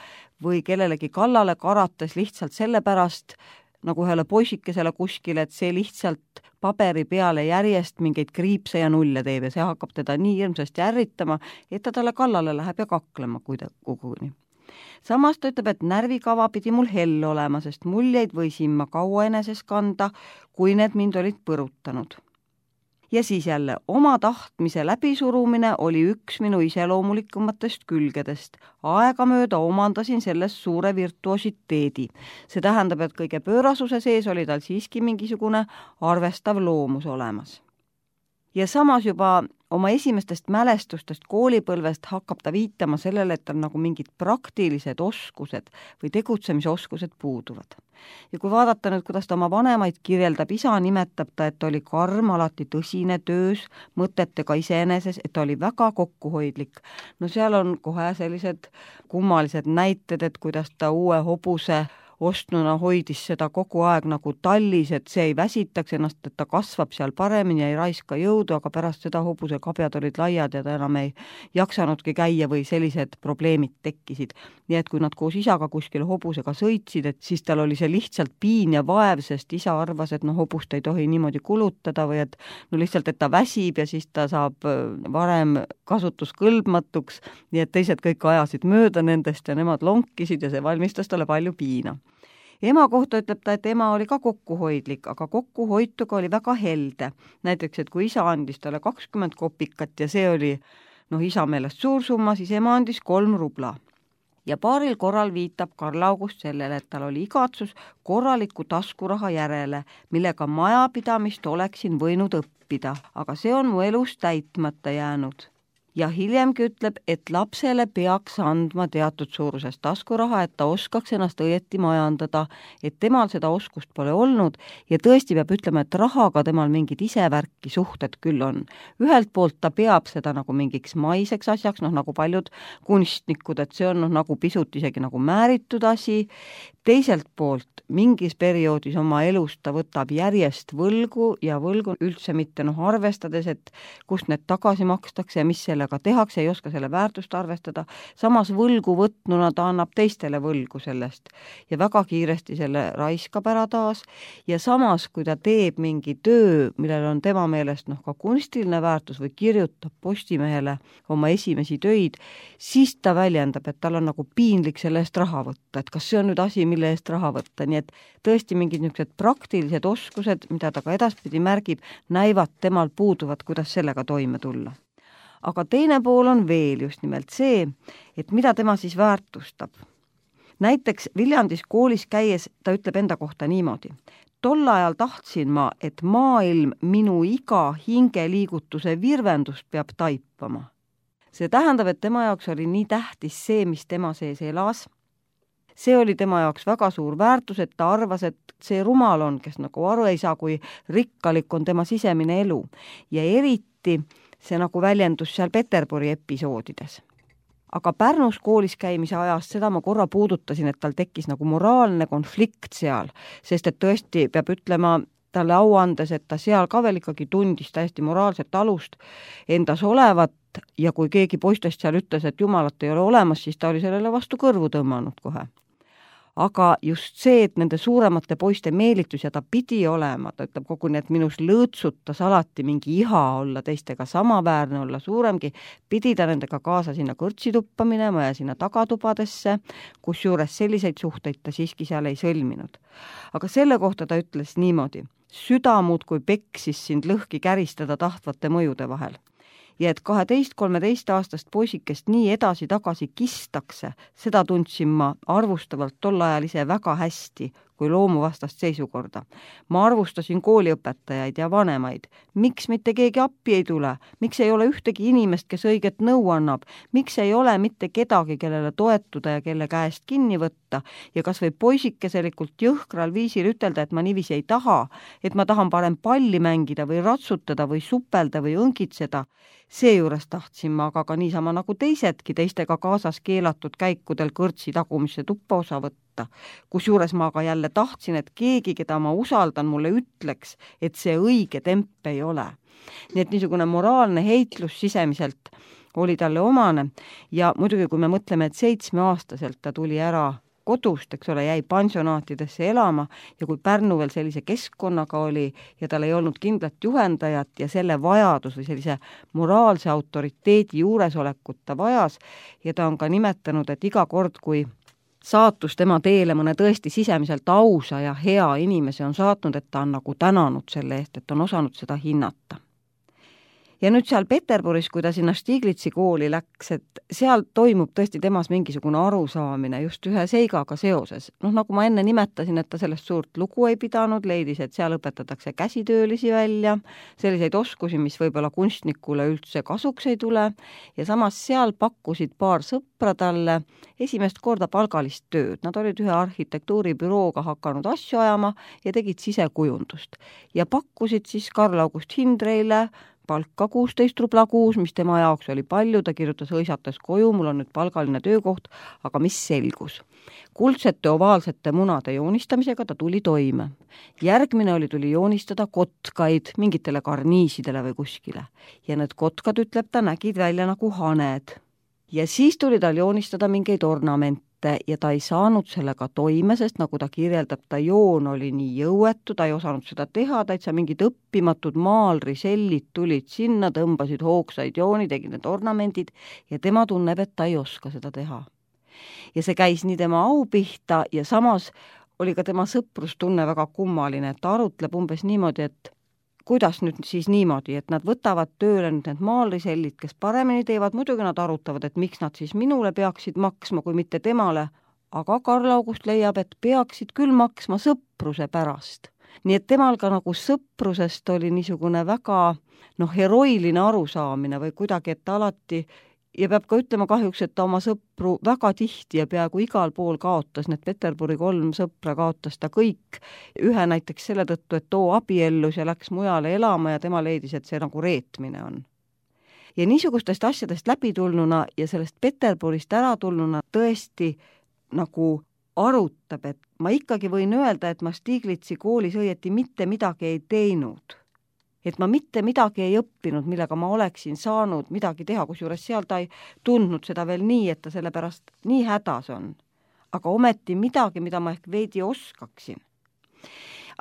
Speaker 1: või kellelegi kallale karates lihtsalt sellepärast, nagu ühele poisikesele kuskile, et see lihtsalt paberi peale järjest mingeid kriipse ja nulle teeb ja see hakkab teda nii hirmsasti ärritama, et ta talle kallale läheb ja kaklema koguni. Samas ta ütleb, et närvikava pidi mul hell olema, sest muljeid võisin ma kaua eneses kanda, kui need mind olid põrutanud. Ja siis jälle, oma tahtmise läbisurumine oli üks minu iseloomulikumatest külgedest. Aegamööda omandasin sellest suure virtuositeedi. See tähendab, et kõige pöörasuse sees oli tal siiski mingisugune arvestav loomus olemas. Ja samas juba oma esimestest mälestustest koolipõlvest hakkab ta viitama sellele, et on nagu mingid praktilised oskused või tegutsemisoskused puuduvad. Ja kui vaadata nüüd, kuidas ta oma vanemaid kirjeldab, isa nimetab ta, et oli karm, alati tõsine töös, mõtetega iseeneses, et ta oli väga kokkuhoidlik. No seal on kohe sellised kummalised näited, et kuidas ta uue hobuse ostnuna hoidis seda kogu aeg nagu tallis, et see ei väsitaks ennast, et ta kasvab seal paremini ja ei raiska jõudu, aga pärast seda hobuse kabjad olid laiad ja ta enam ei jaksanudki käia või sellised probleemid tekkisid. Nii et kui nad koos isaga kuskil hobusega sõitsid, et siis tal oli see lihtsalt piin ja vaev, sest isa arvas, et hobust ei tohi niimoodi kulutada või et lihtsalt, et ta väsib ja siis ta saab varem kasutuskõlbmatuks, nii et teised kõik ajasid mööda nendest ja nemad lonkisid ja see valmistas talle palju piina. Ema kohta ütleb ta, et ema oli ka kokkuhoidlik, aga kokkuhoituga oli väga helde. Näiteks, et kui isa andis talle 20 kopikat ja see oli isa meelest suur summa, siis ema andis 3 rubla. Ja paaril korral viitab Karl August sellele, et tal oli igatsus korraliku taskuraha järele, millega majapidamist oleksin võinud õppida, aga see on mu elus täitmata jäänud. Ja hiljemgi ütleb, et lapsele peaks andma teatud suurusest taskuraha, et ta oskaks ennast õieti majandada, et temal seda oskust pole olnud ja tõesti peab ütlema, et rahaga temal mingid isevärki suhted küll on. Ühelt poolt ta peab seda nagu mingiks maiseks asjaks, nagu paljud kunstnikud, et see on nagu pisut isegi nagu määritud asi. Teiselt poolt mingis perioodis oma elust ta võtab järjest võlgu ja võlgu üldse mitte arvestades, et kust need tagasi makstakse ja mis sellega tehakse, ei oska selle väärtust arvestada. Samas võlgu võtnuna ta annab teistele võlgu sellest ja väga kiiresti selle raiskab ära taas. Ja samas, kui ta teeb mingi töö, millel on tema meelest ka kunstiline väärtus või kirjutab Postimehele oma esimesi töid, siis ta väljendab, et tal on nagu piinlik selle eest raha võtta, et kas see on nüüd asi, mille eest raha võtta, nii et tõesti mingid niisugused praktilised oskused, mida ta ka edaspidi märgib, näivad temal puuduvat, kuidas sellega toime tulla. Aga teine pool on veel just nimelt see, et mida tema siis väärtustab. Näiteks Viljandis koolis käies ta ütleb enda kohta niimoodi. Tol ajal tahtsin ma, et maailm minu iga hingeliigutuse virvendust peab taipama. See tähendab, et tema jaoks oli nii tähtis see, mis tema sees elas. See oli tema jaoks väga suur väärtus, et ta arvas, et see rumal on, kes nagu aru ei saa, kui rikkalik on tema sisemine elu. Ja eriti see nagu väljendus seal Peterburi episoodides. Aga Pärnus koolis käimise ajast seda ma korra puudutasin, et tal tekkis nagu moraalne konflikt seal, sest et tõesti peab ütlema talle au andes, et ta seal ka veel ikkagi tundis täiesti moraalset alust endas olevat ja kui keegi poistest seal ütles, et jumalat ei ole olemas, siis ta oli sellele vastu kõrvu tõmmanud kohe. aga just see, et nende suuremate poiste meelitus ja ta pidi olema, ta ütleb koguni, et minus lõõtsutas alati mingi iha olla teistega samaväärne, olla suuremgi, pidi ta nendega kaasa sinna kõrtsituppa minema ja sinna tagatubadesse, kusjuures selliseid suhteid ta siiski seal ei sõlminud. Aga selle kohta ta ütles niimoodi: süda muudkui peksis sind lõhki käristada tahtvate mõjude vahel. Ja et 12-13 aastast poisikest nii edasi-tagasi kistakse, seda tundsin ma arvustavalt tol ajal ise väga hästi kui loomuvastast seisukorda. Ma arvustasin kooliõpetajaid ja vanemaid. Miks mitte keegi appi ei tule? Miks ei ole ühtegi inimest, kes õiget nõu annab? Miks ei ole mitte kedagi, kellele toetuda ja kelle käest kinni võtta? Ja kas või poisikeselikult jõhkral viisil ütelda, et ma niiviisi ei taha, et ma tahan parem palli mängida või ratsutada või supelda või õngitseda? Seejuures tahtsin ma aga ka niisama nagu teisedki teistega kaasas keelatud käikudel kõrtsi tagumisse tuppa osa võtta. Kusjuures ma aga jälle tahtsin, et keegi, keda ma usaldan, mulle ütleks, et see õige temp ei ole. Nii et niisugune moraalne heitlus sisemiselt oli talle omane ja muidugi, kui me mõtleme, et 7-aastaselt ta tuli ära kodust, eks ole, jäi pansionaatidesse elama ja kui Pärnu veel sellise keskkonnaga oli ja tal ei olnud kindlat juhendajat ja selle vajadus või sellise moraalse autoriteedi juuresolekut ta vajas ja ta on ka nimetanud, et iga kord, kui saatus tema teele mõne tõesti sisemiselt ausa ja hea inimese on saatnud, et ta on nagu tänanud selle eest, et on osanud seda hinnata. Ja nüüd seal Peterburis, kui ta sinna Stiglitsi kooli läks, et seal toimub tõesti temas mingisugune arusaamine just ühe seigaga seoses. Nagu ma enne nimetasin, et ta sellest suurt lugu ei pidanud, leidis, et seal õpetatakse käsitöölisi välja, selliseid oskusi, mis võib-olla kunstnikule üldse kasuks ei tule, ja samas seal pakkusid paar sõpra talle esimest korda palgalist tööd. Nad olid ühe arhitektuuribürooga hakanud asju ajama ja tegid sisekujundust. Ja pakkusid siis Karl August Hindreile palka 16 rubla kuus, mis tema jaoks oli palju, ta kirjutas hõisates koju, mul on nüüd palgaline töökoht, aga mis selgus? Kuldsete ovaalsete munade joonistamisega ta tuli toime. Järgmine tuli joonistada kotkaid mingitele karniisidele või kuskile. Ja need kotkad, ütleb ta, nägid välja nagu haned. Ja siis tuli tal joonistada mingeid ornamente ja ta ei saanud sellega toime, sest nagu ta kirjeldab, ta joon oli nii jõuetu, ta ei osanud seda teha, täitsa mingid õppimatud maalrisellid tulid sinna, tõmbasid hoogsaid jooni, tegid need ornamendid ja tema tunneb, et ta ei oska seda teha. Ja see käis nii tema au pihta ja samas oli ka tema sõprustunne väga kummaline, et ta arutleb umbes niimoodi, et kuidas nüüd siis niimoodi, et nad võtavad tööle nüüd need maalrisellid, kes paremini teevad, muidugi nad arutavad, et miks nad siis minule peaksid maksma, kui mitte temale, aga Karl August leiab, et peaksid küll maksma sõpruse pärast. Nii et temal ka nagu sõprusest oli niisugune väga heroiline arusaamine või kuidagi, et alati ja peab ka ütlema kahjuks, et ta oma sõpru väga tihti ja peaaegu igal pool kaotas, need Peterburi 3 sõpra kaotas ta kõik. Ühe näiteks selle tõttu, et too abiellus ja läks mujale elama ja tema leidis, et see nagu reetmine on. Ja niisugustest asjadest läbitulnuna ja sellest Peterburist ära tulnuna tõesti nagu arutab, et ma ikkagi võin öelda, et ma Stiglitsi koolis õieti mitte midagi ei teinud. Et ma mitte midagi ei õppinud, millega ma oleksin saanud midagi teha, kusjuures seal ta ei tundnud seda veel nii, et ta selle pärast nii hädas on. Aga ometi midagi, mida ma ehk veidi oskaksin.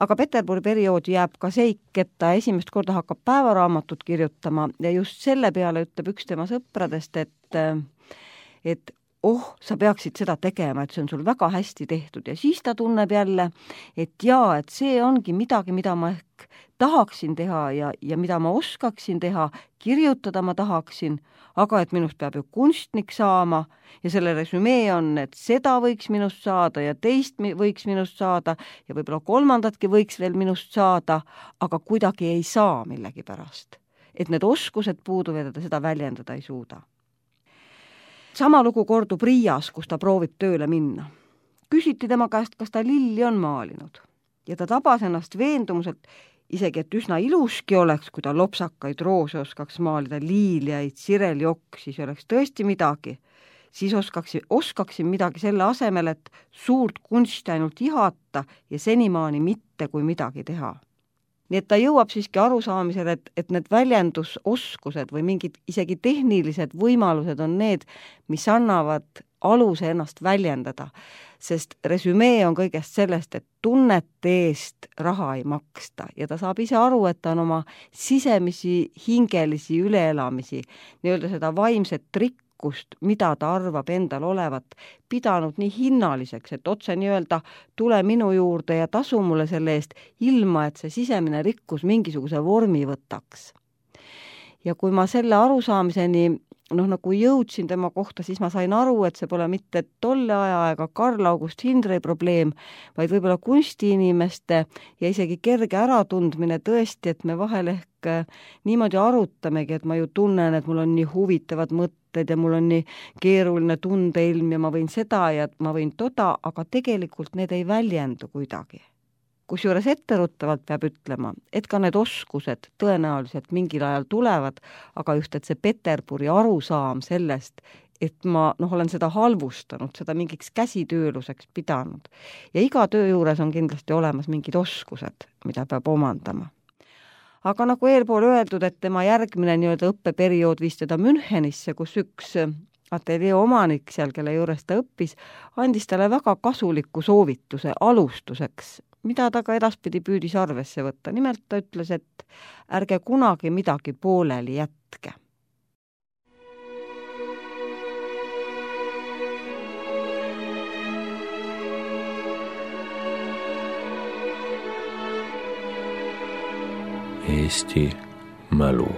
Speaker 1: Aga Peterburi perioodi jääb ka seik, et ta esimest korda hakkab päevaraamatut kirjutama ja just selle peale ütleb üks tema sõpradest, et sa peaksid seda tegema, et see on sul väga hästi tehtud ja siis ta tunneb jälle, et see ongi midagi, mida ma ehk tahaksin teha ja mida ma oskaksin teha, kirjutada ma tahaksin, aga et minust peab ju kunstnik saama ja selle resümee on, et seda võiks minust saada ja teist võiks minust saada ja võib-olla kolmandatki võiks veel minust saada, aga kuidagi ei saa millegipärast. Et need oskused puuduvad ja ta seda väljendada ei suuda. Sama lugu kordub Riias, kus ta proovib tööle minna. Küsiti tema käest, kas ta lilli on maalinud. Ja ta tabas ennast veendumuselt, isegi et üsna iluski oleks, kui ta lopsakaid roose oskaks maalida, liiliaid, sireljoksi, siis oleks tõesti midagi. Siis oskaksin midagi selle asemel, et suurt kunsti ainult ihata ja senimaani mitte kui midagi teha. Nii et ta jõuab siiski arusaamisele, et need väljendusoskused või mingid isegi tehnilised võimalused on need, mis annavad aluse ennast väljendada, sest resümee on kõigest sellest, et tunnete eest raha ei maksta ja ta saab ise aru, et ta on oma sisemisi hingelisi üleelamisi, nii-öelda seda vaimset rikkust, mida ta arvab endal olevat, pidanud nii hinnaliseks, et otse nii-öelda tule minu juurde ja tasu mulle selle eest, ilma et see sisemine rikkus mingisuguse vormi võtaks. Ja kui ma selle arusaamiseni nagu jõudsin tema kohta, siis ma sain aru, et see pole mitte tolle aja Karl August Hindrey probleem, vaid võib-olla kunstiinimeste ja isegi kerge äratundmine tõesti, et me vahel ehk niimoodi arutamegi, et ma ju tunnen, et mul on nii huvitavad mõtted ja mul on nii keeruline tundeilm ja ma võin seda ja ma võin toda, aga tegelikult need ei väljendu kuidagi. Kusjuures etteruttavalt peab ütlema, et ka need oskused tõenäoliselt mingil ajal tulevad, aga just, et see Peterburi arusaam sellest, et ma olen seda halvustanud, seda mingiks käsitööluseks pidanud. Ja iga töö juures on kindlasti olemas mingid oskused, mida peab omandama. Aga nagu eelpool öeldud, et tema järgmine nii-öelda õppeperiood viis teda Münchenisse, kus üks ateljee omanik seal, kelle juures ta õppis, andis talle väga kasuliku soovituse alustuseks, mida ta ka edaspidi püüdis arvesse võtta. Nimelt ta ütles, et ärge kunagi midagi pooleli jätke.
Speaker 2: Eesti mälu.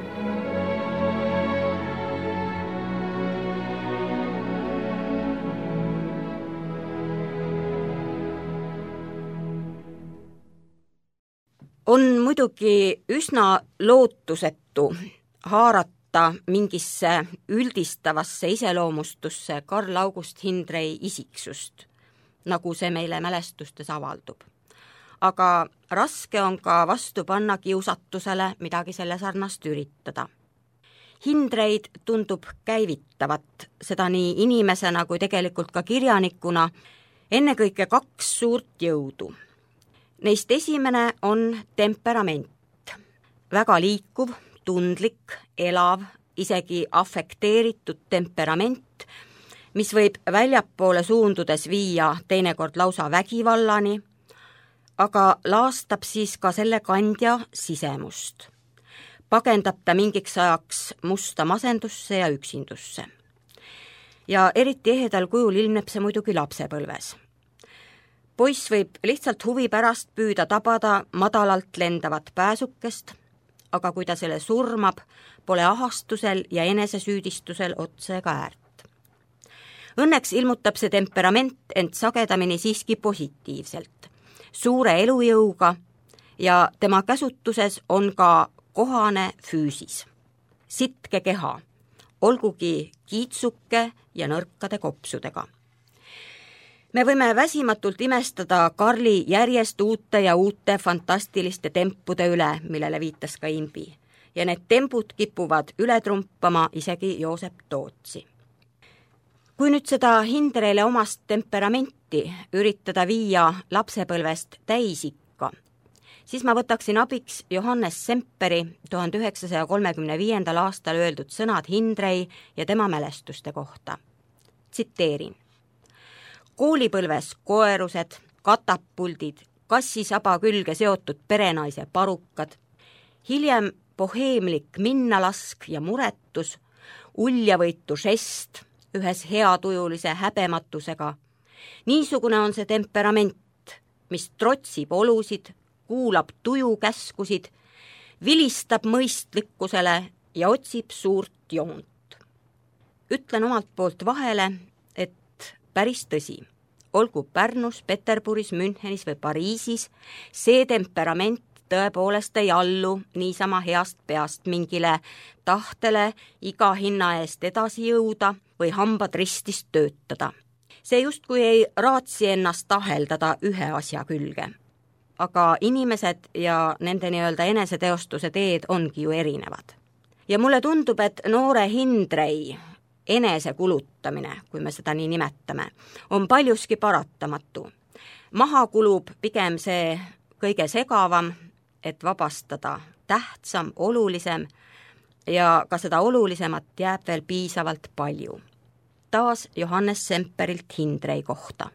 Speaker 3: On muidugi üsna lootusetu haarata mingisse üldistavasse iseloomustusse Karl August Hindrey isiksust, nagu see meile mälestustes avaldub. Aga raske on ka vastu panna kiusatusele midagi selle sarnast üritada. Hindreid tundub käivitavat, seda nii inimesena kui tegelikult ka kirjanikuna, ennekõike 2 suurt jõudu. Neist esimene on temperament. Väga liikuv, tundlik, elav, isegi afekteeritud temperament, mis võib väljapoole suundudes viia teinekord lausa vägivallani, aga laastab siis ka selle kandja sisemust. Pagendab ta mingiks ajaks musta masendusse ja üksindusse. Ja eriti ehedal kujul ilmneb see muidugi lapsepõlves. Poiss võib lihtsalt huvi pärast püüda tabada madalalt lendavat pääsukest, aga kui ta selle surmab, pole ahastusel ja enesesüüdistusel otse ega äärt. Õnneks ilmutab see temperament ent sagedamini siiski positiivselt, suure elujõuga ja tema käsutuses on ka kohane füüsis. Sitke keha, olgugi kiitsuke ja nõrkade kopsudega. Me võime väsimatult imestada Karli järjest uute ja uute fantastiliste tempude üle, millele viitas ka Imbi. Ja need tempud kipuvad üle trumpama isegi Joosep Tootsi. Kui nüüd seda Hindreyle omast temperamenti üritada viia lapsepõlvest täisikka, siis ma võtaksin abiks Johannes Semperi 1935. aastal öeldud sõnad Hindrey ja tema mälestuste kohta. Tsiteerin. Koolipõlves koerused, katapuldid, kassisaba külge seotud perenaise parukad, hiljem boheemlik minnalask ja muretus, uljavõitu žest ühes heatujulise häbematusega. Niisugune on see temperament, mis trotsib olusid, kuulab tujukäskusid, vilistab mõistlikkusele ja otsib suurt joont. Ütlen omalt poolt vahele, päris tõsi. Olgu Pärnus, Peterburis, Münchenis või Pariisis, see temperament tõepoolest ei allu niisama heast peast mingile tahtele iga hinna eest edasi jõuda või hambad ristist töötada. See justkui ei raatsi ennast taheldada ühe asja külge. Aga inimesed ja nende nii-öelda eneseteostuse teed ongi ju erinevad. Ja mulle tundub, et noore Hindrey enese kulutamine, kui me seda nii nimetame, on paljuski paratamatu. Maha kulub pigem see kõige segavam, et vabastada tähtsam, olulisem ja ka seda olulisemat jääb veel piisavalt palju. taas Johannes Semperilt Hindrei kohta.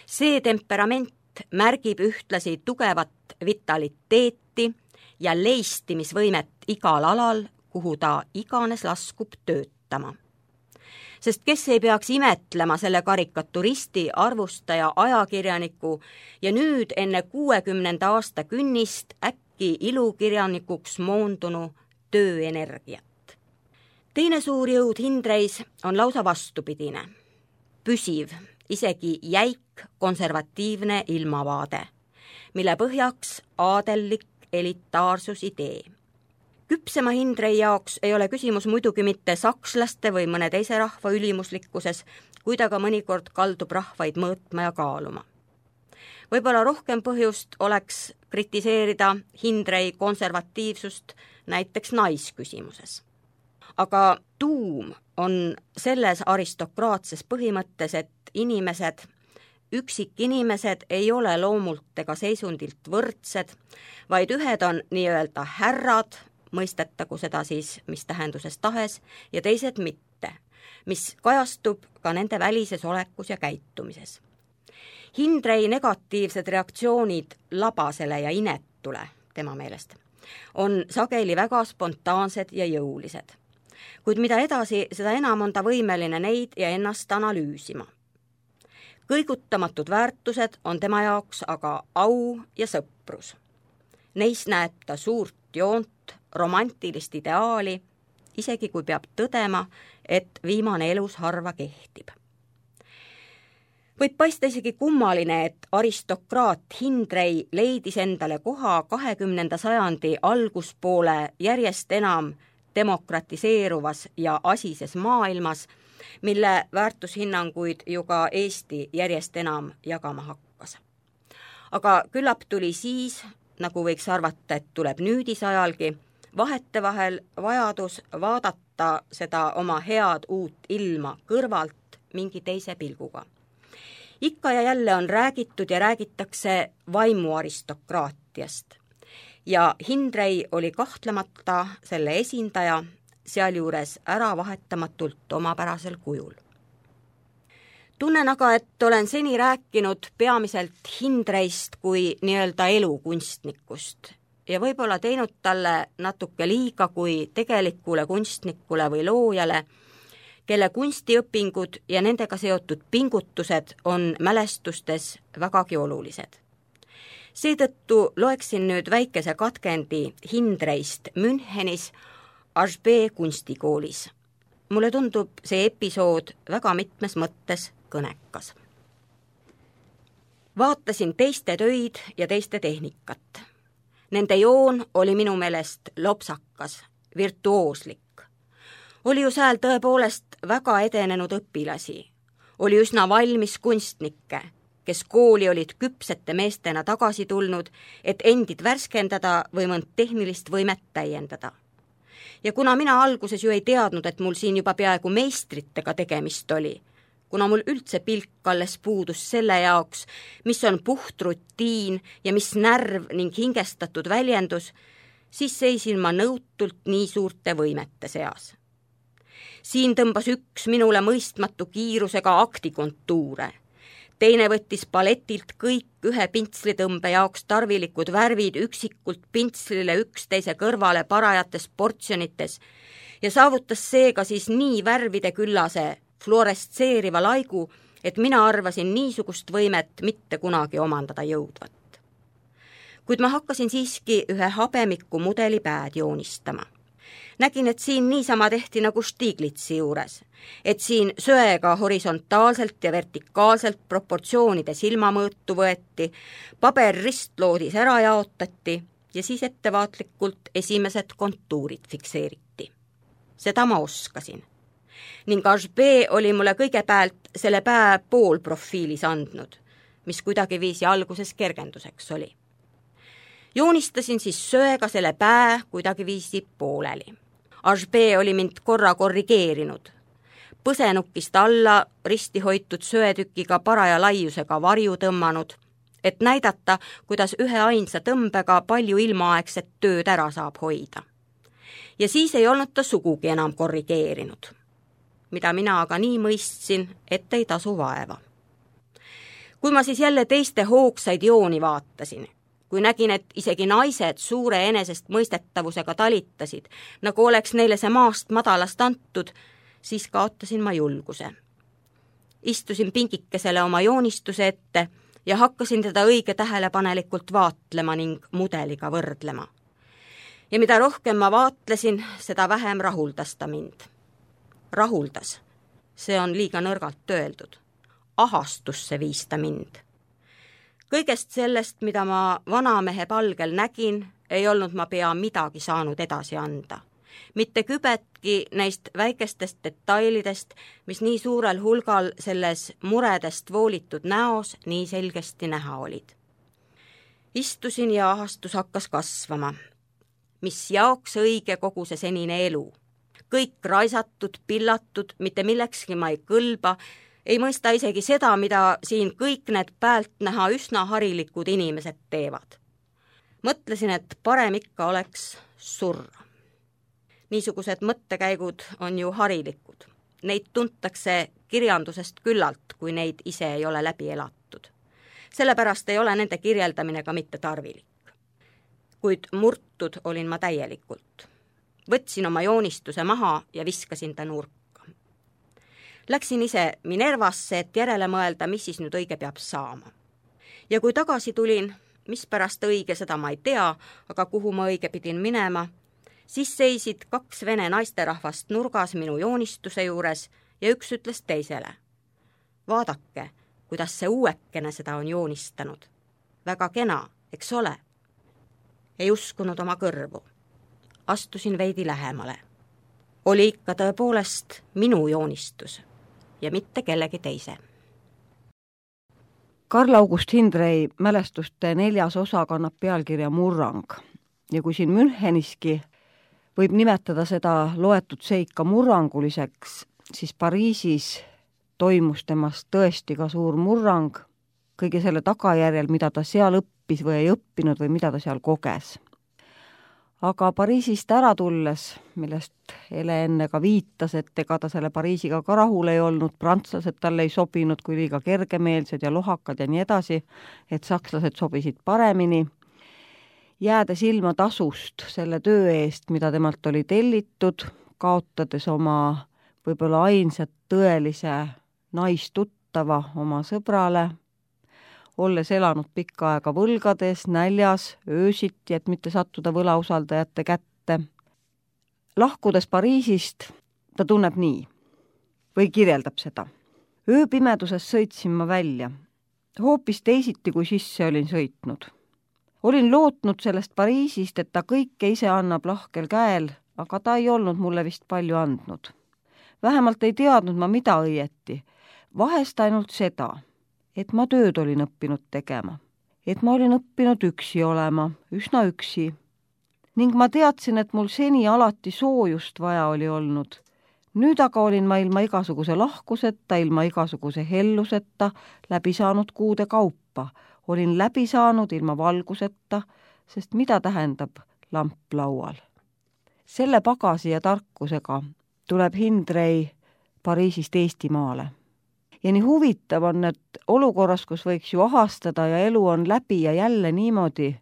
Speaker 3: See temperament märgib ühtlasi tugevat vitaliteeti ja leistimisvõimet igal alal, kuhu ta iganes laskub töötama. Sest kes ei peaks imetlema selle karikaturisti, arvustaja, ajakirjaniku ja nüüd enne 60. aasta künnist äkki ilukirjanikuks moondunu tööenergiat. Teine suur jõud Hindreis on lausa vastupidine. Püsiv, isegi jäik konservatiivne ilmavaade, mille põhjaks aadellik elitaarsusidee. Küpsema Hindrei jaoks ei ole küsimus muidugi mitte sakslaste või mõne teise rahva ülimuslikkuses, kui ta ka mõnikord kaldub rahvaid mõõtma ja kaaluma. Võib-olla rohkem põhjust oleks kritiseerida Hindrei konservatiivsust näiteks naisküsimuses. Aga tuum on selles aristokraatses põhimõttes, et üksikinimesed ei ole loomult ega seisundilt võrdsed, vaid ühed on nii-öelda härrad, mõistetagu seda siis mis tähenduses tahes, ja teised mitte, mis kajastub ka nende välises olekus ja käitumises. Hindrei negatiivsed reaktsioonid labasele ja inetule, tema meelest, on sageli väga spontaansed ja jõulised. Kuid mida edasi, seda enam on ta võimeline neid ja ennast analüüsima. Kõigutamatud väärtused on tema jaoks aga au ja sõprus. Neis näeb ta suurt joont, romantilist ideaali, isegi kui peab tõdema, et viimane elus harva kehtib. Võib paista isegi kummaline, et aristokraat Hindrei leidis endale koha 20. sajandi alguspoole järjest enam demokratiseeruvas ja asises maailmas, mille väärtushinnanguid ju ka Eesti järjest enam jagama hakkas. Aga küllap tuli siis, nagu võiks arvata, et tuleb nüüdisajalgi, vahetevahel vajadus vaadata seda oma head uut ilma kõrvalt mingi teise pilguga. Ikka ja jälle on räägitud ja räägitakse vaimuaristokraatiast. Ja Hindrei oli kahtlemata selle esindaja, sealjuures äravahetamatult omapärasel kujul. Tunnen aga, et olen seni rääkinud peamiselt Hindreist kui nii-öelda elukunstnikust ja võib-olla teinud talle natuke liiga kui tegelikule kunstnikule või loojale, kelle kunstiõpingud ja nendega seotud pingutused on mälestustes vägagi olulised. Seetõttu loeksin nüüd väikese katkendi Hindreist Münchenis HB kunstikoolis. Mulle tundub see episood väga mitmes mõttes kõnekas. Vaatasin teiste töid ja teiste tehnikat. Nende joon oli minu meelest lopsakas, virtuooslik. Oli ju seal tõepoolest väga edenenud õpilasi. Oli üsna valmis kunstnikke, kes kooli olid küpsete meestena tagasi tulnud, et endid värskendada või mõnd tehnilist võimet täiendada. Ja kuna mina alguses ju ei teadnud, et mul siin juba peaaegu meistritega tegemist oli, kuna mul üldse pilk alles puudus selle jaoks, mis on puht rutiin ja mis närv ning hingestatud väljendus, siis seisin ma nõutult nii suurte võimete seas. Siin tõmbas üks minule mõistmatu kiirusega aktikontuure. Teine võttis paletilt kõik ühe pintslitõmbe jaoks tarvilikud värvid üksikult pintslile üksteise kõrvale parajates portsjonites ja saavutas seega siis nii värvide küllase fluorestseeriva laigu, et mina arvasin niisugust võimet mitte kunagi omandada jõudvat. Kuid ma hakkasin siiski ühe habemiku mudeli pääd joonistama. Nägin, et siin niisama tehti nagu Stiglitsi juures, et siin söega horisontaalselt ja vertikaalselt proportsioonide silmamõõtu võeti, paber ristloodis ära jaotati ja siis ettevaatlikult esimesed kontuurid fikseeriti. Seda ma oskasin. Ning HB oli mulle kõigepealt selle pää poolprofiilis andnud, mis kuidagi viisi alguses kergenduseks oli. Joonistasin siis söega selle pää kuidagi viisi pooleli. HB oli mind korra korrigeerinud. Põsenukist alla risti hoitud söetükiga paraja laiusega varju tõmmanud, et näidata, kuidas ühe ainsa tõmbega palju ilmaaegset tööd ära saab hoida. Ja siis ei olnud ta sugugi enam korrigeerinud. mida mina aga nii mõistsin, et ei tasu vaeva. Kui ma siis jälle teiste hoogsaid jooni vaatasin, kui nägin, et isegi naised suure enesest mõistetavusega talitasid, nagu oleks neile see maast madalast antud, siis kaotasin ma julguse. Istusin pingikesele oma joonistuse ette ja hakkasin teda õige tähelepanelikult vaatlema ning mudeliga võrdlema. Ja mida rohkem ma vaatlesin, seda vähem rahuldas ta mind. Rahuldas, see on liiga nõrgalt öeldud. Ahastusse viis ta mind. Kõigest sellest, mida ma vanamehe palgel nägin, ei olnud ma pea midagi saanud edasi anda. Mitte kübetki neist väikestest detailidest, mis nii suurel hulgal selles muredest voolitud näos nii selgesti näha olid. Istusin ja ahastus hakkas kasvama. Mis jaoks õige kogu see senine elu. Kõik raisatud, pillatud, mitte millekski ma ei kõlba, ei mõista isegi seda, mida siin kõik need päält näha üsna harilikud inimesed teevad. Mõtlesin, et parem ikka oleks surra. Niisugused mõttekäigud on ju harilikud. Neid tuntakse kirjandusest küllalt, kui neid ise ei ole läbi elatud. Sellepärast ei ole nende kirjeldamine ka mitte tarvilik. Kuid murtud olin ma täielikult. Võtsin oma joonistuse maha ja viskasin ta nurka. Läksin ise Minervasse, et järele mõelda, mis siis nüüd õige peab saama. Ja kui tagasi tulin, mis pärast õige, seda ma ei tea, aga kuhu ma õige pidin minema, siis seisid 2 vene naisterahvast nurgas minu joonistuse juures ja üks ütles teisele. Vaadake, kuidas see uuekene seda on joonistanud. Väga kena, eks ole? Ei uskunud oma kõrvu. Astusin veidi lähemale. Oli ikka tõepoolest minu joonistus ja mitte kellegi teise.
Speaker 1: Karl August Hindrei mälestuste 4. osa kannab pealkirja Murrang. Ja kui siin Müncheniski võib nimetada seda loetud seika murranguliseks, siis Pariisis toimus temast tõesti ka suur murrang kõige selle tagajärjel, mida ta seal õppis või ei õppinud või mida ta seal koges. Aga Pariisist ära tulles, millest Ele enne ka viitas, et ega ta selle Pariisiga ka rahul ei olnud, prantslased talle ei sobinud kui liiga kergemeelsed ja lohakad ja nii edasi, et sakslased sobisid paremini, jäädes ilma tasust selle töö eest, mida temalt oli tellitud, kaotades oma võib-olla ainsat tõelise naistuttava oma sõbrale, olles elanud pikka aega võlgades, näljas, öösiti, et mitte sattuda võlausaldajate kätte. Lahkudes Pariisist ta tunneb nii või kirjeldab seda. Ööpimeduses sõitsin ma välja, hoopis teisiti kui sisse olin sõitnud. Olin lootnud sellest Pariisist, et ta kõike ise annab lahkel käel, aga ta ei olnud mulle vist palju andnud. Vähemalt ei teadnud ma mida õieti, vahest ainult seda, et ma tööd olin õppinud tegema, et ma olin õppinud üksi olema, üsna üksi. Ning ma teadsin, et mul seni alati soojust vaja oli olnud. Nüüd aga olin ma ilma igasuguse lahkuseta, ilma igasuguse helluseta läbi saanud kuude kaupa. Olin läbi saanud ilma valguseta, sest mida tähendab lamp laual? Selle pagasi ja tarkusega tuleb Hindrei Pariisist Eestimaale. Ja nii huvitav on, et olukorras, kus võiks ju ahastada ja elu on läbi ja jälle niimoodi,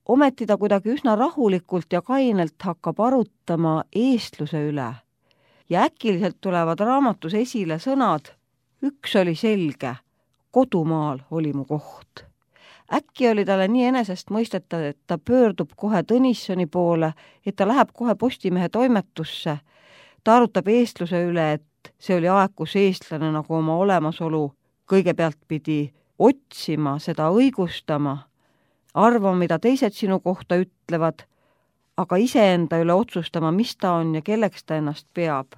Speaker 1: ometi ta kuidagi üsna rahulikult ja kainelt hakkab arutama eestluse üle. Ja äkiliselt tulevad raamatus esile sõnad, üks oli selge, kodumaal oli mu koht. Äkki oli talle nii enesest mõistetav, et ta pöördub kohe Tõnissoni poole, et ta läheb kohe Postimehe toimetusse, ta arutab eestluse üle, et see oli aeg, kus eestlane nagu oma olemasolu kõigepealt pidi otsima, seda õigustama, arvama, mida teised sinu kohta ütlevad, aga iseenda üle otsustama, mis ta on ja kelleks ta ennast peab.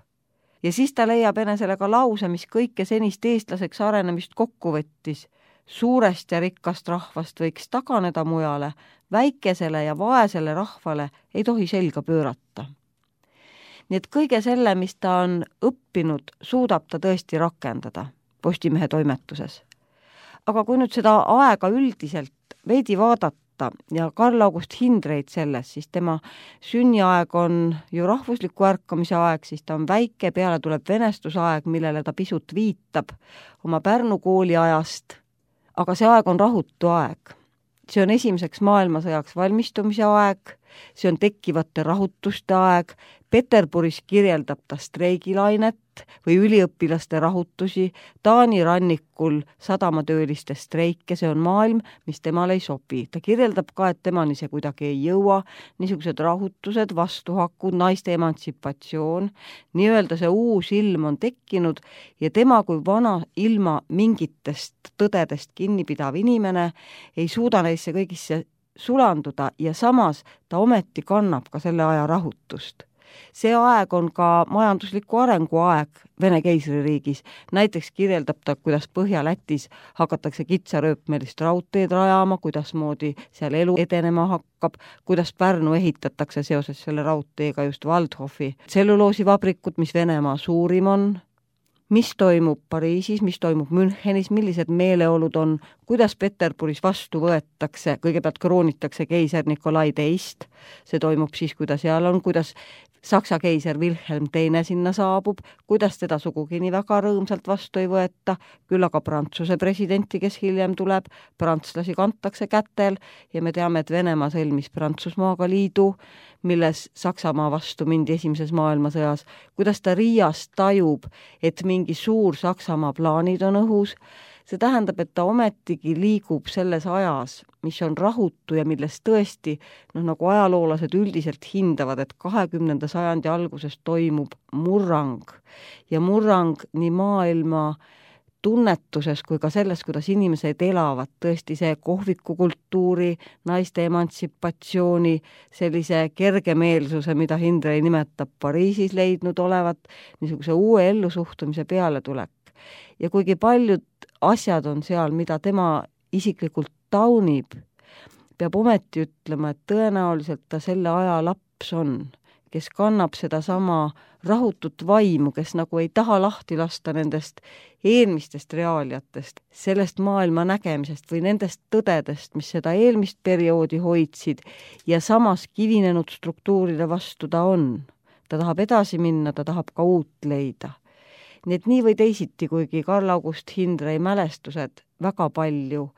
Speaker 1: Ja siis ta leiab enesele ka lause, mis kõike senist eestlaseks arenemist kokku võttis. Suurest ja rikkast rahvast võiks taganeda mujale, väikesele ja vaesele rahvale ei tohi selga pöörata. Nii et kõige selle, mis ta on õppinud, suudab ta tõesti rakendada Postimehe toimetuses. Aga kui nüüd seda aega üldiselt veidi vaadata, vaadata ja Karl August Hindreit selles, siis tema sünniaeg on ju rahvusliku ärkamise aeg, siis ta on väike, peale tuleb venestusaeg, millele ta pisut viitab oma Pärnu kooli ajast, aga see aeg on rahutu aeg. See on esimeseks maailmasõjaks valmistumise aeg, see on tekkivate rahutuste aeg, Peterburis kirjeldab ta streigilainet või üliõpilaste rahutusi, Taani rannikul sadamatööliste streike, see on maailm, mis temale ei sobi. Ta kirjeldab ka, et temani see kuidagi ei jõua, niisugused rahutused, vastuhakud, naiste emantsipatsioon, nii-öelda see uus ilm on tekkinud ja tema kui vana ilma mingitest tõdedest kinnipidav inimene ei suuda neisse kõigisse sulanduda ja samas ta ometi kannab ka selle aja rahutust. See aeg on ka majandusliku arengu aeg Vene keisririigis. Näiteks kirjeldab ta, kuidas Põhja-Lätis hakatakse kitsarööpmelist raudteed rajama, kuidas moodi seal elu edenema hakkab, kuidas Pärnu ehitatakse seoses selle raudteega just Waldhofi tselluloosivabrikut, mis Venemaa suurim on, mis toimub Pariisis, mis toimub Münchenis, millised meeleolud on, kuidas Peterburis vastu võetakse, kõigepealt kroonitakse keiser Nikolai teist, see toimub siis, kui ta seal on, kuidas Saksa keiser Wilhelm teine sinna saabub, kuidas teda sugugi nii väga rõõmsalt vastu ei võeta, küll aga Prantsuse presidenti, kes hiljem tuleb, prantslasi kantakse kätel ja me teame, et Venemaa sõlmis Prantsusmaaga liidu, milles Saksamaa vastu mindi esimeses maailmasõjas, kuidas ta Riias tajub, et mingi suur Saksamaa plaanid on õhus. See tähendab, et ta ometigi liigub selles ajas, mis on rahutu ja milles tõesti, nagu ajaloolased üldiselt hindavad, et 20. sajandi alguses toimub murrang ja murrang nii maailma tunnetuses kui ka selles, kuidas inimesed elavad, tõesti see kohvikukultuuri, naiste emantsipatsiooni, sellise kergemeelsuse, mida Hindrei nimetab Pariisis leidnud olevat, niisuguse uue ellusuhtumise pealetulek. Ja kuigi paljud asjad on seal, mida tema isiklikult taunib, peab ometi ütlema, et tõenäoliselt ta selle aja laps on, kes kannab sedasama rahutut vaimu, kes nagu ei taha lahti lasta nendest eelmistest reaaliatest, sellest maailma nägemisest või nendest tõdedest, mis seda eelmist perioodi hoidsid ja samas kivinenud struktuuride vastu ta on. Ta tahab edasi minna, ta tahab ka uut leida. Nii et nii või teisiti, kuigi Karl August Hindrei mälestused väga palju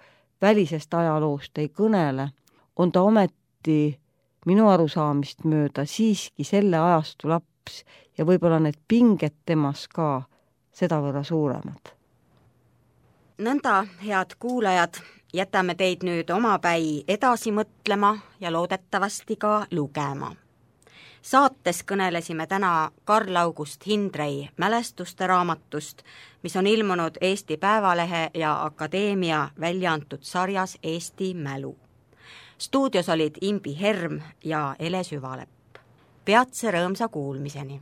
Speaker 1: välisest ajaloost ei kõnele, on ta ometi minu arusaamist mööda siiski selle ajastu laps ja võib-olla need pinged temas ka sedavõrra suuremad.
Speaker 3: Nõnda, head kuulajad, jätame teid nüüd omapäi edasi mõtlema ja loodetavasti ka lugema. Saates kõnelesime täna Karl August Hindrei mälestuste raamatust, mis on ilmunud Eesti Päevalehe ja Akadeemia välja antud sarjas Eesti mälu. Stuudios olid Imbi Herm ja Ele Süvalepp. Peatse rõõmsa kuulmiseni!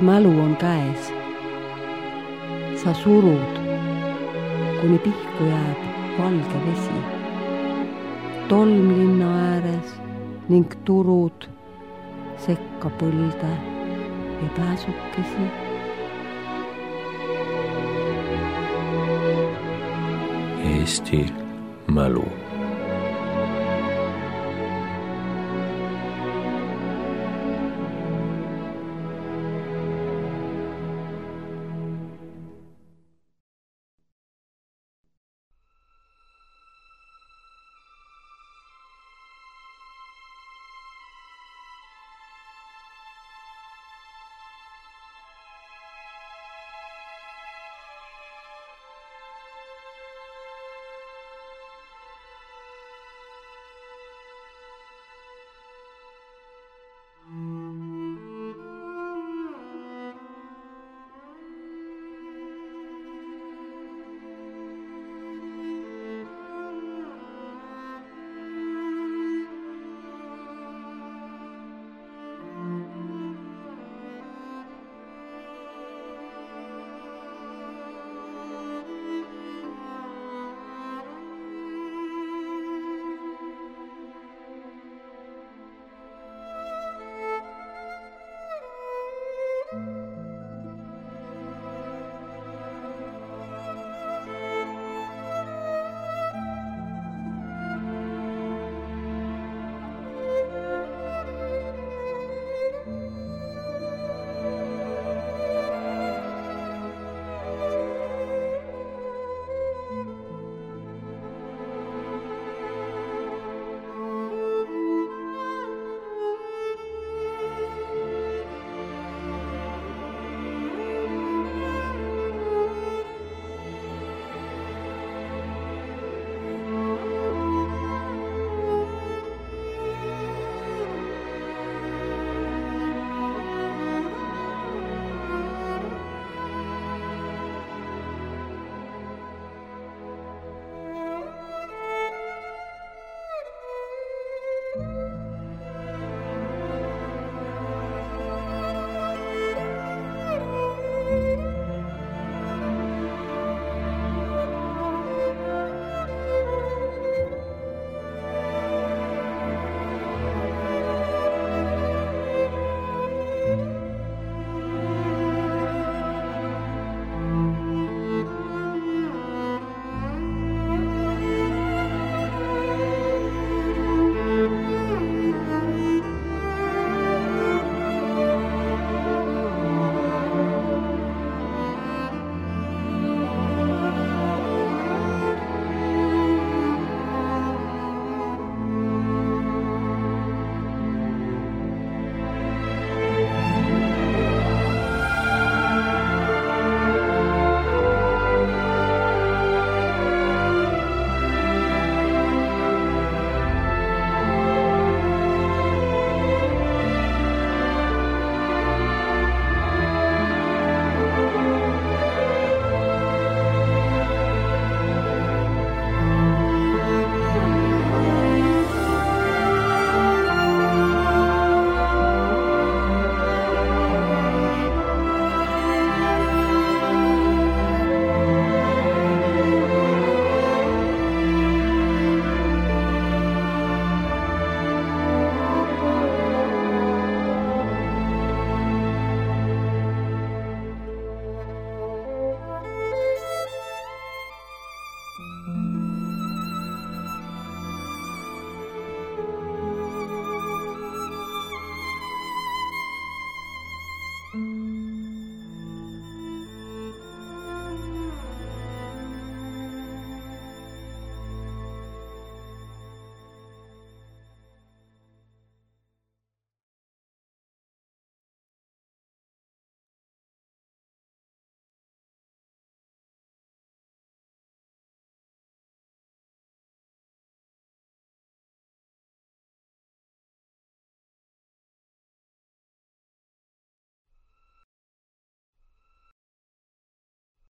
Speaker 1: mälu on käes. Sa surud, kuni pihku jääb valge vesi. Tolm linna ääres ning turud sekka põlde ja pääsukesi.
Speaker 2: Eesti mälu.